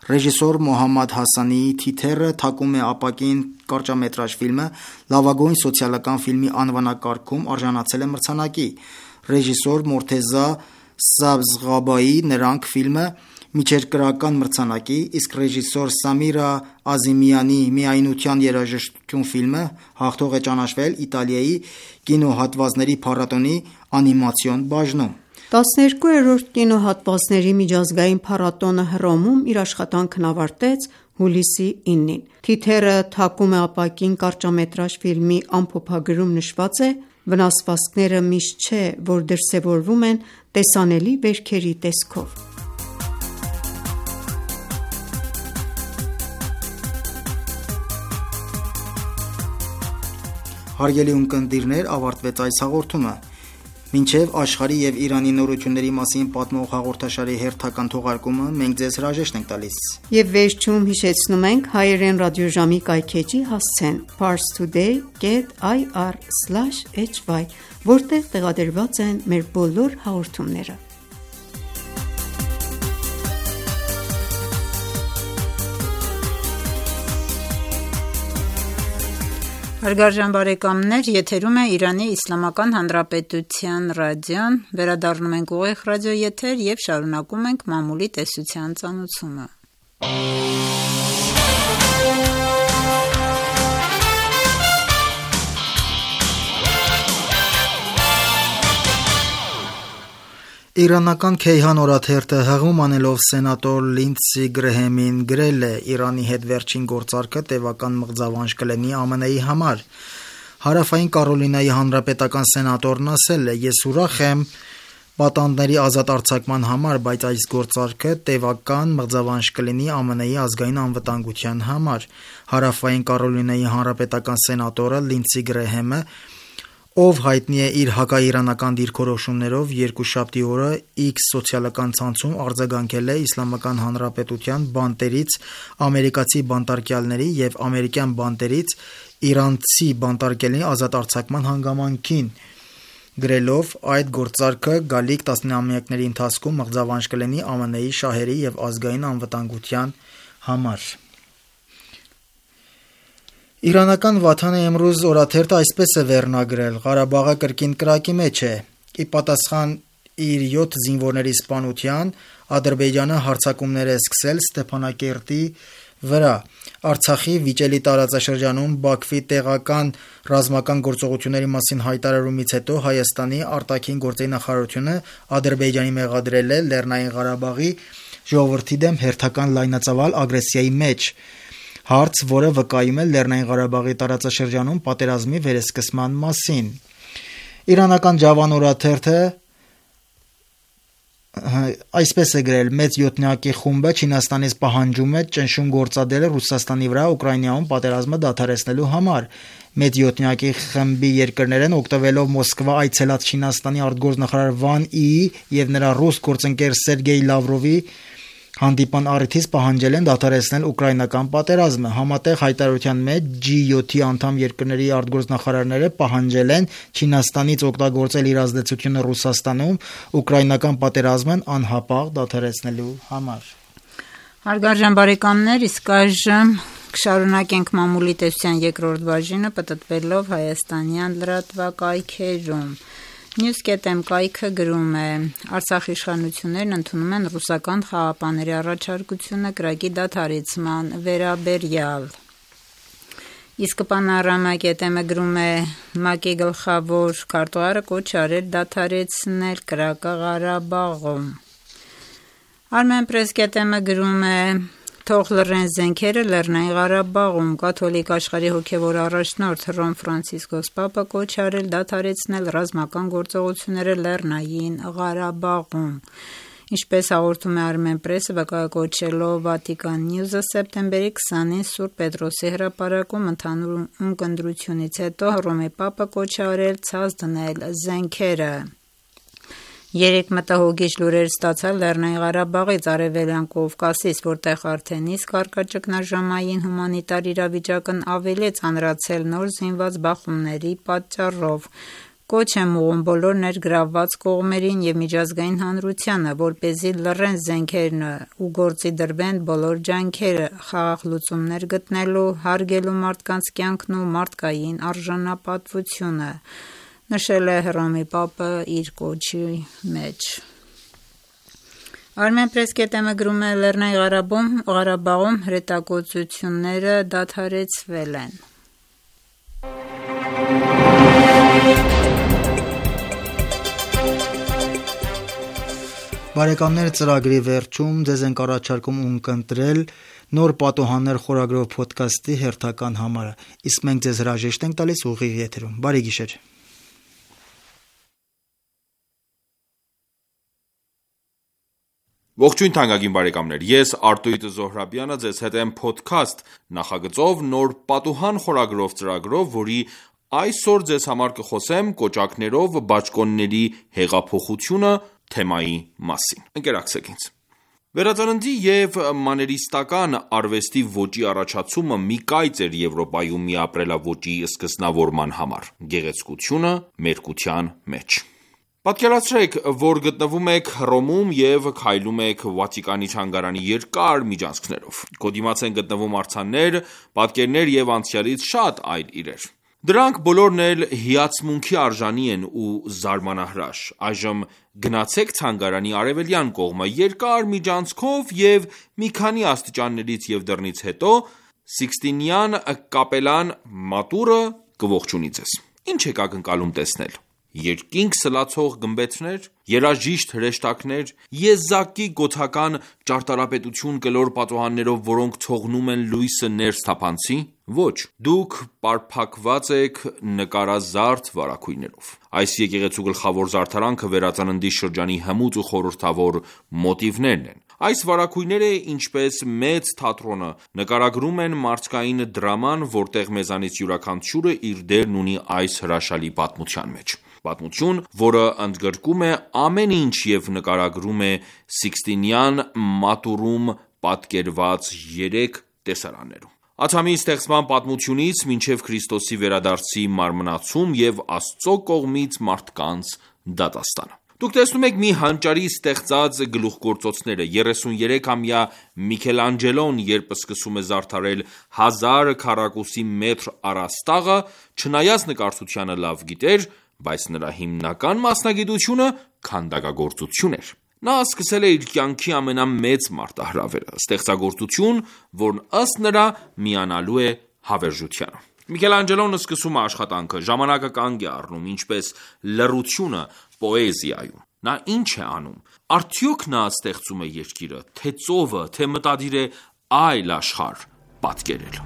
Ռեժիսոր Մոհամմադ Հասանիի «Թիթեռը թակում է ապակին» կարճամետրաժ ֆիլմը լավագույն սոցիալական ֆիլմի անվանակարգում արժանացել է մրցանակի։ Ռեժիսոր Մորթեզա Սաբզղաբայի «Նրանք» ֆիլմը միջերկրական մրցանակի, իսկ ռեժիսոր Սամիրա Ազիմյանի «Միայնության երաժշտություն» ֆիլմը հաղթող է ճանաչվել Իտալիայի կինոհատվածների փառատոնի անիմացիոն բաժնում։ 12-րդ կինոհատվածների միջազգային փառատոնը Հռոմում իր աշխատանքն ավարտեց հուլիսի 9-ին։ «Թիթեռը թակում է ապակին» կարճամետրաժ ֆիլմի ամփոփագրում նշված է. «Վնասվածքները միշտ չէ, որ դրսևորվում են տեսանելի վերքերի տեսքով»։ Հարգելի ունկնդիրներ, ավարտվեց այս հաղորդումը։ Մինչև աշխարհի և Իրանի նորությունների մասին պատմող հաղորդաշարի հերթական թողարկումը մենք ձեզ հրաժեշտ ենք տալիս։ Եվ վերջում հիշեցնում ենք հայերեն ռադիոժամի կայքէջի հասցեն parstoday.ir/hy, որտեղ տեղադրված են մեր բոլոր հաղորդումները։ Հարգարժան բարեկամներ, եթերում է Իրանի Իսլամական Հանրապետության ռադիոն, վերադառնում ենք ուղիղ ռադիոեթեր և շարունակում ենք մամուլի տեսության ծանոթումը։ Իրանական Քեյհան օրաթերթը հղում անելով սենատոր Լինդսի Գրեհեմին գրել է. «Իրանի հետ վերջին գործարքը տևական մղձավանջ կլինի ԱՄՆ-ի համար»։ Հարավային Կարոլինայի հանրապետական սենատորն ասել է. «Ես ուրախ եմ պատանդների ազատ արձակման համար, բայց այս գործարքը տևական մղձավանջ կլինի ԱՄՆ-ի ազգային անվտանգության համար»։ Հարավային Կարոլինայի հանրապետական սենատորը Լինդսի Գրեհեմը, ով հայտնի է իր հակաիրանական դիրքորոշումներով, երկուշաբթի օրը X սոցիալական ցանցում արձագանքել է Իսլամական Հանրապետության բանտերից ամերիկացի բանտարկյալների և ամերիկյան բանտերից իրանցի բանտարկյալների ազատ արձակման հանգամանքին, գրելով. «Այդ գործարքը գալիք տասնամյակների ընթացքում մղձավանջ կլինի ԱՄՆ-ի շահերի և ազգային անվտանգության համար»։ Իրանական Վաթան-ե Էմրուզ օրաթերթը այսպես է վերնագրել. «Ղարաբաղը կրկին կրակի մեջ է»։ Ի պատասխան իր 7 զինվորների սպանության, Ադրբեջանը հարձակումներ է սկսել Ստեփանակերտի վրա։ Արցախի վիճելի տարածաշրջանում Բաքվի տեղական ռազմական գործողությունների մասին հայտարարումից հետո Հայաստանի արտաքին գործերի նախարարությունը Ադրբեջանի մեղադրել է Լեռնային Ղարաբաղի ժողովրդի դեմ հերթական լայնածավալ ագրեսիայի մեջ։ Հարց, որը վկայում է Լեռնային Ղարաբաղի տարածաշրջանում պատերազմի վերսկսման մասին։ Իրանական Ջավան օրաթերթը այսպես է գրել. մեծ յոթնյակի խումբը Չինաստանից պահանջում է ճնշում գործադրել Ռուսաստանի վրա Ուկրաինայում պատերազմը դադարեցնելու համար։ Մեծ յոթնյակի խմբի երկրներն օգտվելով Մոսկվա այցելած Չինաստանի արտգործնախարար Վան Իի եւ նրա ռուս գործընկեր Սերգեյ Լավրովի հանդիպան առիթից պահանջել են դադարեցնել ուկրաինական պատերազմը։ Համատեղ հայտարարության մեջ G7-ի անդամ երկրների արտգործնախարարները պահանջել են Չինաստանից օգտագործել իր ազդեցությունը Ռուսաստանում ուկրաինական պատերազմն անհապաղ դադարեցնելու համար։ Հարգարժան բարեկամներ, իսկ այժմ կշարունակենք մամուլի տեսության երկրորդ բաժինը պտտվելով հայաստանյան լրատվակայքերում։ News.am կայքը գրում է. Արցախի իշխանություններն ընդունում են ռուսական խաղաղապահների առաջարկությունը կրակի դադարեցման վերաբերյալ։ Իսկ Panorama.am գրում է. ՄԱԿ-ի գլխավոր քարտուղարը կոչ արել դադարեցնել կրակը Ղարաբաղում։ Armenpress.am գրում է. Թող լռեն զենքերը Լեռնային Ղարաբաղում։ Կաթոլիկ աշխարհի հոգևոր առաջնորդ Հռոմ Ֆրանցիսկոս Պապը կոչ արել դադարեցնել ռազմական գործողությունները Լեռնային Ղարաբաղում։ Ինչպես հաղորդում է Armenpress-ը, վկայակոչելով Vatican News-ը, սեպտեմբերի 20-ին Սուրբ Պետրոսի հրապարակում ընդհանուր ունկնդրությունից հետո Հռոմի Պապը կոչ արել ցած դնել զենքերը։ Երեք մտահոգիչ լուրեր ստացալ Լեռնային Ղարաբաղից, Արևելյան Կովկասից, որտեղ արդեն իսկ առկա ճգնաժամային հումանիտար իրավիճակն ավելի է ծանրացել նոր զինված բախումների պատճառով։ Կոչ եմ ուղղում բոլոր ներգրավված կողմերին եւ միջազգային հանրությանը, որպեսզի լռեն զենքերն ու գործի դրվեն բոլոր ջանքերը խաղաղ լուծումներ գտնելու, հարգելու մարդկանց կյանքն ու մարդկային արժանապատվությունը, նշել է Հռոմի Պապը իր կոչի մեջ։ Armenpress.am գրում է. Լեռնային Ղարաբաղում հրետակոծությունները դադարեցվել են։ Բարեկամներ, ծրագրի վերջում ձեզ ենք առաջարկում ունկնդրել նոր պատոհաններ խորագրով ոդքասթի հերթական համարը, իսկ մենք ձեզ հրաժեշտ ենք տալիս ուղիղ եթերում։ Բարի գիշեր։ Ողջույն թանկագին բարեկամներ, ես Արտույտ Զոհրաբյանը ձեզ հետ եմ podcast նախագծով նոր պատուհան խորագրով ծրագրով, որի այսօր ձեզ համար կխոսեմ կոճակներով բաճկոնների հեղափոխությունը թեմայի մասին։ Ընկերակցեք ինձ։ Վերածննդի և մաներիստական արվեստի ոճի առաջացումը մի կայծ էր Եվրոպայում մի ապրելաոճի սկզբնավորման համար՝ գեղեցկությունը մերկության մեջ։ Պատկերացրեք, որ գտնվում եք Հռոմում և քայլում եք Վատիկանի թանգարանի երկար միջանցքներով։ Քո դիմաց են գտնվում արձաններ, պատկերներ և անցյալից շատ այլ իրեր։ Դրանք բոլորն էլ հիացմունքի արժանի են ու զարմանահրաշ։ Այժմ գնացեք թանգարանի արևելյան կողմը երկար միջանցքով և մի քանի աստիճաններից և դռնից հետո Սիկստինյան կապելան մատուրը կողջունի ձեզ։ Ինչ եք ակնկալում տեսնել։ Երկինք սլացող գմբեթներ, երաժիշտ հրեշտակներ, եզակի գոթական ճարտարապետություն կլոր պատուհաններով, որոնք թողնում են լույսը ներս թափանցի։ Ոչ, դուք պարփակված եք նկարազարդ վարագույրներով։ Այս եկեղեցու գլխավոր զարդարանքը վերածննդի շրջանի հմուտ ու խորհրդավոր մոտիվներն են։ Այս վարագույրները, ինչպես մեծ թատրոնը, նկարագրում են մարդկային դրաման, որտեղ մեզանից յուրաքանչյուրը իր դերն ունի այս հրաշալի պատմության մեջ։ Պատմություն, որը ընդգրկում է ամեն ինչ և նկարագրում է Սիկստինյան մատուրում պատկերված 3 տեսարաններում։ Ադամի ստեղծման պատմությունից մինչև Քրիստոսի վերադարձի մարմնացում և Աստծո կողմից մարդկանց դատաստանը։ Դուք տեսնում եք մի հանճարի ստեղծած գլուխգործոցները։ 33-ամյա Միքելանջելոն, երբ սկսում է զարդարել 1000 քառակուսի մետր առաստաղը, չնայած նկարչությանը լավ գիտեր, բայց նրա հիմնական մասնագիտությունը քանդակագործություն էր։ Նա սկսել է իր կյանքի ամենամեծ մարտահրավերը՝ ստեղծագործություն, որն ըստ նրա միանալու է հավերժությանը։ Միքելանջելոն սկսում է աշխատանքը, ժամանակը կանգ է առնում, ինչպես լռությունը պոեզիայում։ Նա ինչ է անում։ Արդյոք նա ստեղծում է երկիրը, թե ծովը, թե մտադիր է այլ աշխարհ պատկերել։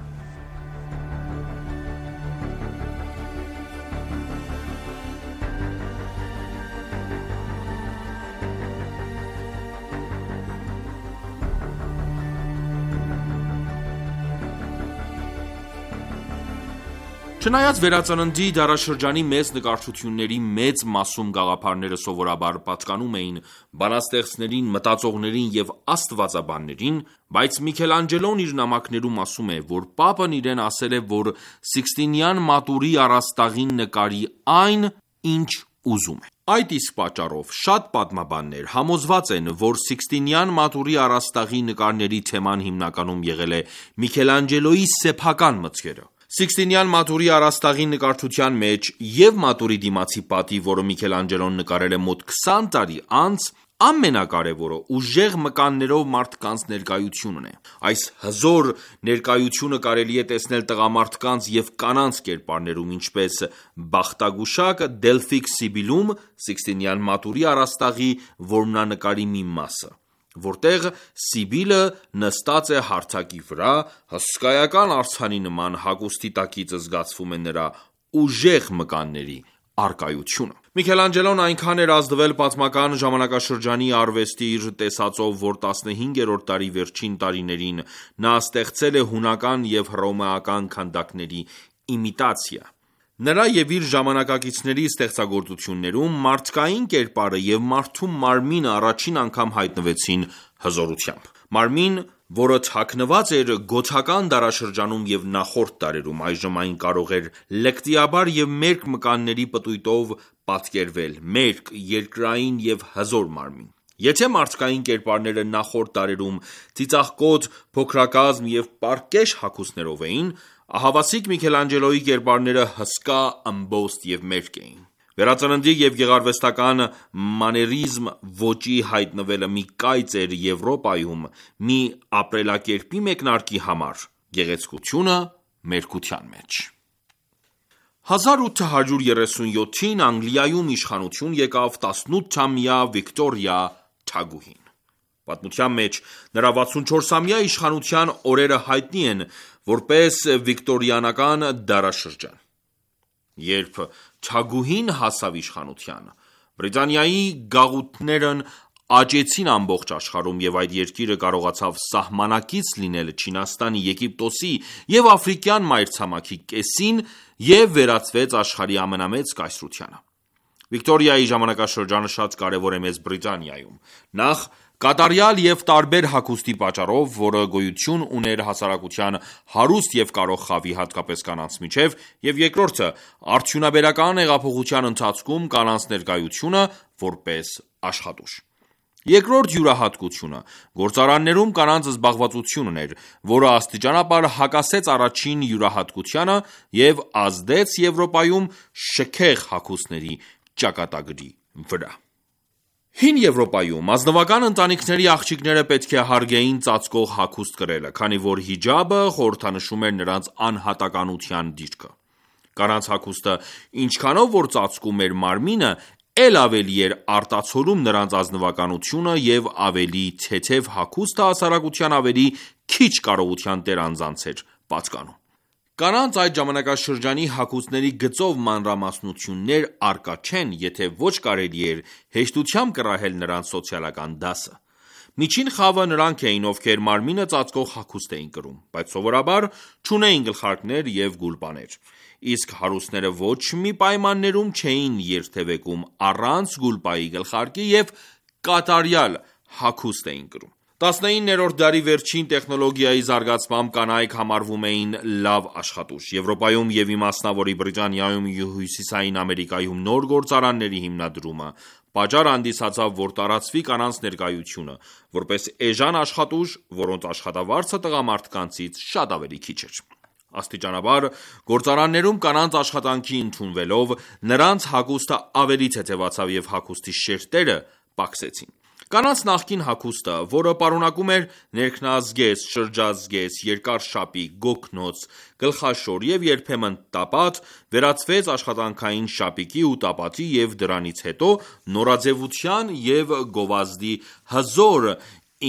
Չնայած վերածննդի դարաշրջանի մեծ նկարչությունների մեծ մասում գաղափարները սովորաբար պատկանում էին բանաստեղծներին, մտածողներին և աստվածաբաններին, բայց Միքելանջելոն իր նամակներում ասում է, որ Պապն իրեն ասել է, որ Սիկստինյան մատուրի առաստաղին նկարի այն, ինչ ուզում է։ Այդ իսկ պատճառով շատ պատմաբաններ համոզված են, որ Սիկստինյան մատուրի առաստաղի նկարների թեման հիմնականում եղել է Միքելանջելոյի սեփական մտքերը։ Սիկստինյան մատուրի առաստաղի նկարչության մեջ և մատուրի դիմացի պատի, որը Միքելանջելոն նկարել է մոտ 20 տարի անց, ամենակարևորը ուժեղ մկաններով մարդկանց ներկայությունն է։ Այս հզոր ներկայությունը կարելի է տեսնել տղամարդկանց և կանանց կերպարներում, ինչպես բախտագուշակ Դելֆիկ Սիբիլում Սիկստինյան մատուրի առաստաղի որմնանկարի մի մասը, որտեղ Սիբիլը նստած է հարթակի վրա, հսկայական արձանի նման հագուստի տակից զգացվում է նրա ուժեղ մկանների առկայությունը։ Միքելանջելոն այնքան էր ազդվել պատմական ժամանակաշրջանի արվեստի իր տեսածով, որ 15-րդ դարի վերջին տարիներին նա ստեղծել է հունական և հռոմեական քանդակների իմիտացիա։ Նրա և իր ժամանակակիցների ստեղծագործություններում մարդկային կերպարը և մարդու մարմինը առաջին անգամ հայտնվեցին հզորությամբ։ Մարմին, որը թաքնված էր գոթական դարաշրջանում և նախորդ դարերում, այժմ այն կարող էր լկտիաբար և մերկ մկանների պտույտով պատկերվել, մերկ, երկրային և հզոր մարմին։ Եթե մարդկային կերպարները նախորդ դարերում ծիծաղկոտ, փոքրակազմ և պարկեշ հագուստներով էին, ահավասիկ Միքելանջելոյի կերպարները հսկա, ըմբոստ և մերկ էին։ Վերածննդի և գեղարվեստական մաներիզմ ոճի հայտնվելը մի կայծ էր Եվրոպայում մի ապրելակերպի մեկնարկի համար, գեղեցկությունը մերկության մեջ։ 1837-ին Անգլիայում իշխանություն եկավ 18-ամյա Վիկտորիա թագուհին։ Պատմության մեջ նրա 64-ամյա իշխանության օրերը հայտնի են որպես վիկտորիանական դարաշրջան։ Երբ թագուհին հասավ իշխանության, Բրիտանիայի գաղութներն աճեցին ամբողջ աշխարհում և այդ երկիրը կարողացավ սահմանակից լինել Չինաստանի, Եգիպտոսի և Աֆրիկյան մայրցամաքի կեսին և վերածվեց աշխարհի ամենամեծ կայսրությանը։ Վիկտորիայի ժամանակաշրջանը շատ կարևոր է Մեծ Բրիտանիայում։ Նախ կատարյալ և տարբեր հագուստի պատճառով, որը գոյություն ուներ հասարակության հարուստ և կարող խավի, հատկապես կանանց միջև, և երկրորդը արդյունաբերական հեղափոխության ընթացքում կանանց ներկայությունը որպես աշխատուժ։ Երկրորդ յուրահատկությունը գործարաններում կանանց զբաղվածությունն էր, որը աստիճանաբար հակասեց առաջին յուրահատկությանը և ազդեց Եվրոպայում շքեղ հագուստների ճակատագրի վրա։ Հին Եվրոպայում ազնվական ընտանիքների աղջիկները պետք է հարգեին ծածկող հագուստ կրելը, քանի որ հիջաբը խորհրդանշում էր նրանց անհատականության դիրքը։ Կանանց հագուստը ինչքանով որ ծածկում էր մարմինը, էլ ավելի էր արտացոլում նրանց ազնվականությունը և ավելի թեթև հագուստը հասարակության ավելի քիչ կարողության տեր անձանց էր պատկանում։ Կանանց այդ ժամանակաշրջանի հագուստների գծով մանրամասնություններ առկա չեն, եթե ոչ կարելի էր հեշտությամբ կռահել նրանց սոցիալական դասը։ Միջին խավը նրանք էին, ովքեր մարմինը ծածկող հագուստ էին կրում, բայց սովորաբար չունեին գլխարկներ և գուլպաներ, իսկ հարուստները ոչ մի պայմաններում չէին երթևեկում առանց գուլպայի, գլխարկի և կատարյալ հագուստ էին կրում։ 19-րդ դարի վերջին տեխնոլոգիայի զարգացմամբ կանայք համարվում էին լավ աշխատուժ։ Եվրոպայում և իմասնավորի Բրիտանիայում ու Հյուսիսային Ամերիկայում նոր գործարանների հիմնադրումը պատճառ հանդիսացավ, որ տարածվի կանանց ներկայությունը, որպես էժան աշխատուժ, որոնց աշխատավարձը տղամարդկանցից շատ ավելի քիչ էր։ Աստիճանաբար գործարաններում կանանց աշխատանքի ընդունվելով, նրանց հագուստը ավելի թեթևացավ և հագուստի շերտերը պակսեցին։ Կանանց նախկին հագուստը, որը պարունակում էր ներքնազգեստ, շրջազգեստ, երկար շապիկ, գոգնոց, գլխաշոր և երբեմն տապատ, վերածվեց աշխատանքային շապիկի ու տապատի և դրանից հետո նորաձևության և գովազդի հզոր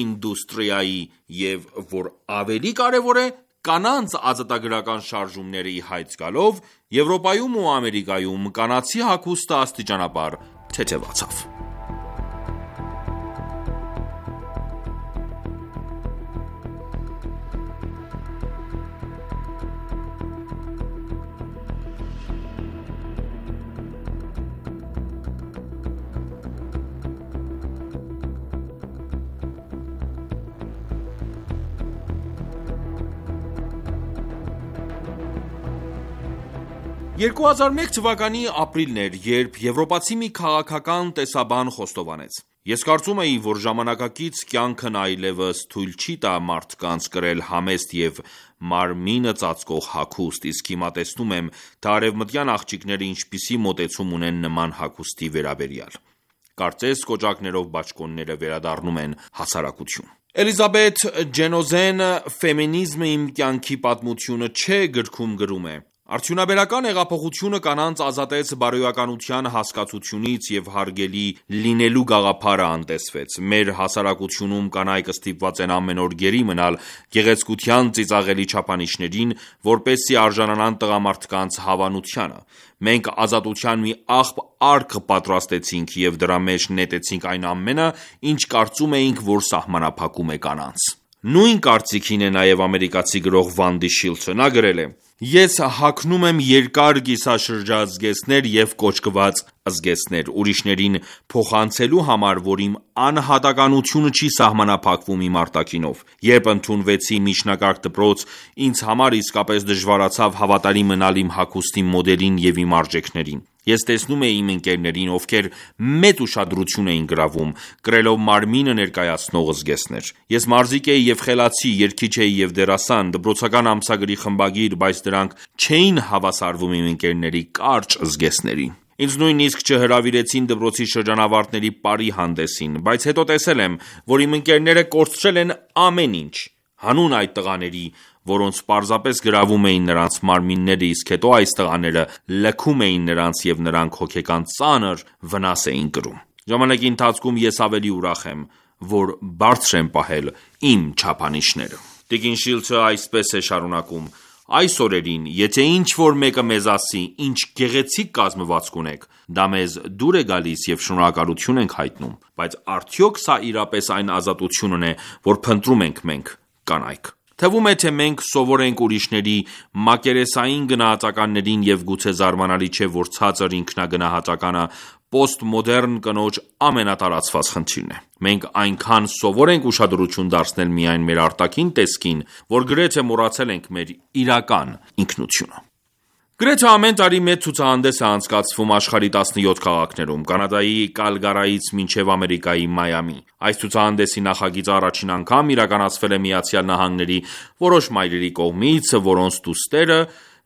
ինդուստրիայի և, որ ավելի կարևոր է, կանանց ազատագրական շարժումները ի հայտ գալով, Եվրոպայում ու Ամերիկայում կանացի հագուստը աստիճանաբար թեթևացավ։ «2001 թվականի ապրիլն էր, երբ եվրոպացի մի քաղաքական տեսաբան խոստովանեց. «Ես կարծում էի, որ ժամանակակից կյանքն այլևս թույլ չի տա մարդկանց կրել համեստ և մարմինը ծածկող հագուստ, իսկ հիմա տեսնում եմ, թե արևմտյան աղջիկները ինչպիսի մոտեցում ունեն նման հագուստի վերաբերյալ։ Կարծես կոճակներով բաճկոնները վերադառնում են հասարակություն»։ Էլիզաբեթ Ջենոզեն «Ֆեմինիզմը իմ կյանքի պատմությունը չէ» գրքում գրում է. «Արդյունաբերական հեղափոխությունը կանանց ազատեց բարոյականության հասկացությունից և հարգելի լինելու գաղափարը անտեսվեց։ Մեր հասարակությունում կանայք ստիպված են ամեն օր գերի մնալ գեղեցկության ծիծաղելի չափանիշներին, որպեսզի արժանանան տղամարդկանց հավանությանը։ Մենք ազատության մի աղբ արկ պատրաստեցինք և դրա մեջ նետեցինք այն ամենը, ինչ կարծում էինք, որ սահմանափակում է կանանց»։ Նույն կարծիքին է նաև ամերիկացի գրող Վանդի Շիլդսը։ Նա գրել է. «Ես հագնում եմ երկար կիսաշրջազգեստներ և կոճկված զգեստներ, ուրիշներին փոխանցելու համար, որ իմ անհատականությունը չի սահմանափակվում իմ արտաքինով։ Երբ ընդունվեցի միջնակարգ դպրոց, ինձ համար իսկապես դժվարացավ հավատարիմ մնալ իմ հագուստի մոդելին և իմ արժեքներին։ Ես տեսնում էի իմ ընկերներին, ովքեր մեծ ուշադրություն էին գրավում, կրելով մարմինը ներկայացնող զգեստներ։ Ես մարզիկ էի և խելացի, երգիչ էի և դերասան, դպրոցական ամսագրի խմբագիր, բայց դրանք չէին հավասարվում իմ ընկերների կարճ զգեստներին։ Ինձ նույնիսկ չհրավիրեցին դպրոցի շրջանավարտների պարի հանդեսին, բայց հետո տեսել եմ, որ իմ ընկերները կորցրել են ամեն ինչ։ Հանուն այդ տղաների, որոնց պարզապես գրավում էին նրանց մարմինները, իսկ հետո այս տղաները լքում էին նրանց և նրանք հոգեկան ծանր վնաս էին կրում։ Ժամանակի ընթացքում ես ավելի ուրախ եմ, որ բարձր եմ պահել իմ չափանիշները»։ Տիկին Շիլդսը այսպես է շարունակում. «Այս օրերին, եթե ինչ-որ մեկը մեզ ասի, ինչ գեղեցիկ կազմվածք ունեք, դա մեզ դուր է գալիս և շնորհակալություն ենք հայտնում։ Բայց արդյոք սա իրապես այն ազատությունն է, որ փնտրում ենք մենք՝ կանայք։ Թվում է, թե մենք սովոր ենք ուրիշների մակերեսային գնահատականներին և գուցե զարմանալի չէ, որ ցածր ինքնագնահատականը պոստմոդեռն կնոջ ամենատարածված խնդիրն է։ Մենք այնքան սովոր ենք ուշադրություն դարձնել միայն մեր արտաքին տեսքին, որ գրեթե մոռացել ենք մեր իրական ինքնությունը»։ Գրեթե ամեն տարի մեծ ցուցահանդես է անցկացվում աշխարհի 17 քաղաքներում՝ Կանադայի Կալգարիից մինչև Ամերիկայի Մայամի։ Այս ցուցահանդեսի նախագիծը առաջին անգամ իրականացվել է ԱՄՆ-ի որոշ մայրերի կողմից, որոնց դուստերը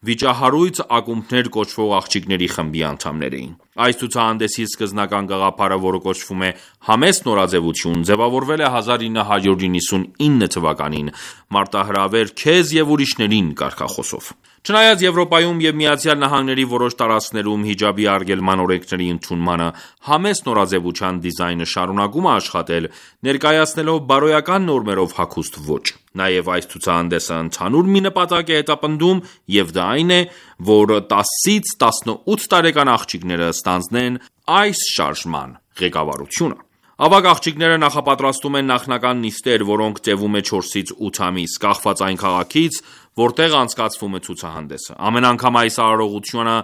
վիճահարույց ակումբներ կոչվող աղջիկների խմբի անդամներ էին։ Այս ցուցահանդեսի սկզբնական գաղափարը, որը կոչվում է «Համեստ նորաձևություն», ձևավորվել է 1999 թվականին մարտահրավեր քեզ և ուրիշներին կարգախոսով։ Չնայած Եվրոպայում և ԱՄՆ-ի որոշ տարածքներում հիջաբի արգելման օրենքների ընդունմանը, համեստ նորաձևության դիզայնը շարունակում է աշխատել՝ ներկայացնելով բարոյական նորմերով հագուստ ոճ։ Նաև այս ցուցահանդեսը ընդհանուր մի նպատակ է հետապնդում, և դա այն է, որ 10-ից 18 տարեկան աղջիկները ստանձնեն այս շարժման ղեկավարությունը։ Ավագ աղջիկները նախապատրաստում են նախնական նիստեր, որոնք տևում է 4-ից 8 ամիս, կախված այն քաղաքից, որտեղ անցկացվում է ցուցահանդեսը։ Ամեն անգամ այս արարողությանը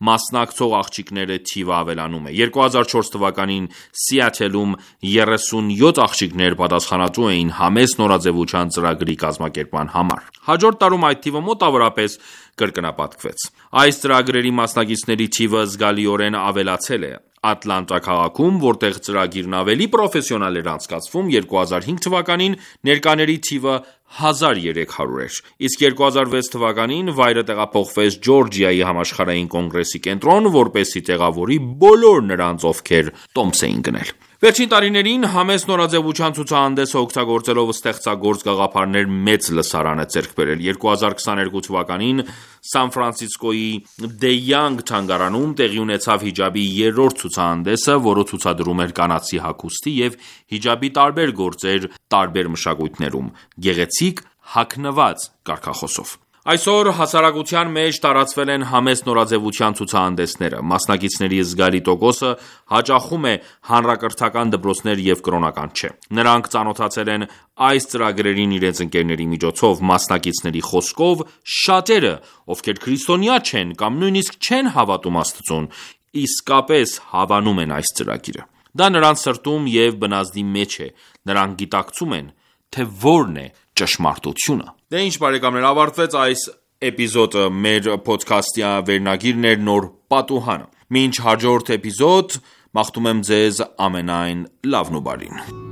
մասնակցող աղջիկների թիվը ավելանում է։ 2004 թվականին Սիաթլում 37 աղջիկներ պատասխանատու էին համեստ նորաձևության ծրագրի կազմակերպման համար։ Հաջորդ տարում այդ թիվը մոտավորապես կրկնապատկվեց։ Այս ծրագրերի մասնակիցների թիվը զգալիորեն ավելացել է։ Ատլանտա քաղաքում, որտեղ ծրագիրն ավելի պրոֆեսիոնալ էր անցկացվում, 2005 թվականին ներկաների թիվը 1300 էր, իսկ 2006 թվականին վայրը տեղափոխվեց Ջորջիայի համաշխարհային կոնգրեսի կենտրոն, որպեսզի տեղավորի բոլոր նրանց, ովքեր տոմս էին գնել։ Վերջին տարիներին համեստ նորաձևության ցուցահանդեսը օգտագործելով ստեղծագործ գաղափարներ մեծ լսարան է ձեռք բերել։ 2022 թվականին Սան Ֆրանցիսկոյի Դե Յանգ թանգարանում տեղի ունեցավ հիջաբի երրորդ ցուցահանդեսը, որը ցուցադրում էր կանացի հագուստի և հիջաբի տարբեր գործեր տարբեր մշակույթներում՝ գեղեցիկ, հագնված կարգախոսով։ Այսօր հասարակության մեջ տարածվել են համեստ նորաձևության ցուցահանդեսները։ Մասնակիցների զգալի տոկոսը հաճախում է հանրակրթական դպրոցներ և կրոնական չէ։ Նրանք ծանոթացել են այս ծրագրերին իրենց ընկերների միջոցով։ Մասնակիցների խոսքով, շատերը, ովքեր քրիստոնյա չեն կամ նույնիսկ չեն հավատում Աստծուն, իսկապես հավանում են այս ծրագիրը։ Դա նրանց սրտում և բնազդի մեջ է։ Նրանք գիտակցում են, թե որն է ճշմարտությունը։ Դե ինչ բարեկամներ, ավարտվեց այս էպիզոդը, մեր փոդքասթի վերնագիրն էր նոր պատուհանը։ Մինչ հաջորդ էպիզոդ, մաղթում եմ ձեզ ամենայն լավն ու բարին։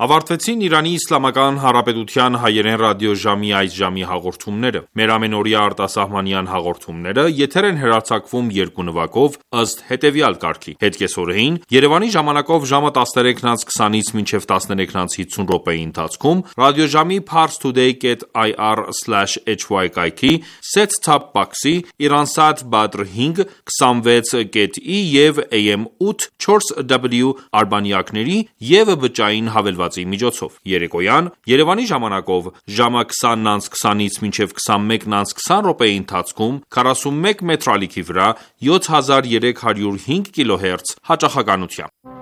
Ավարտվեցին Իրանի Իսլամական Հանրապետության հայերեն ռադիոժամի այս ժամի հաղորդումները։ Մեր ամենօրյա արտասահմանյան հաղորդումները եթեր են հեռարձակվում երկու նվագով ըստ հետևյալ կարգի. Հետկեսօրեին Երևանի ժամանակով ժամը 13:20-ից մինչև 13:50 րոպեի ընթացքում ռադիոժամի parstoday.ir/hy կայքի set-top box-ի, Iransat Badr 5 26.ի և AM 8 4W արբանյակների և բջջային հավելվածի միջոցով։ Երեկոյան Երևանի ժամանակով ժամը 20:20-ից մինչև 21:20 րոպեի ընթացքում 41 մետր ալիքի վրա 7305 կիլոհերց հաճախականությամբ։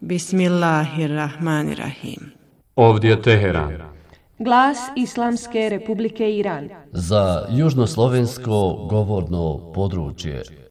Bismillahirrahmanirrahim. Ovdje Teheran. Glas Islamske Republike Iran. Za južnoslovensko govorno područje.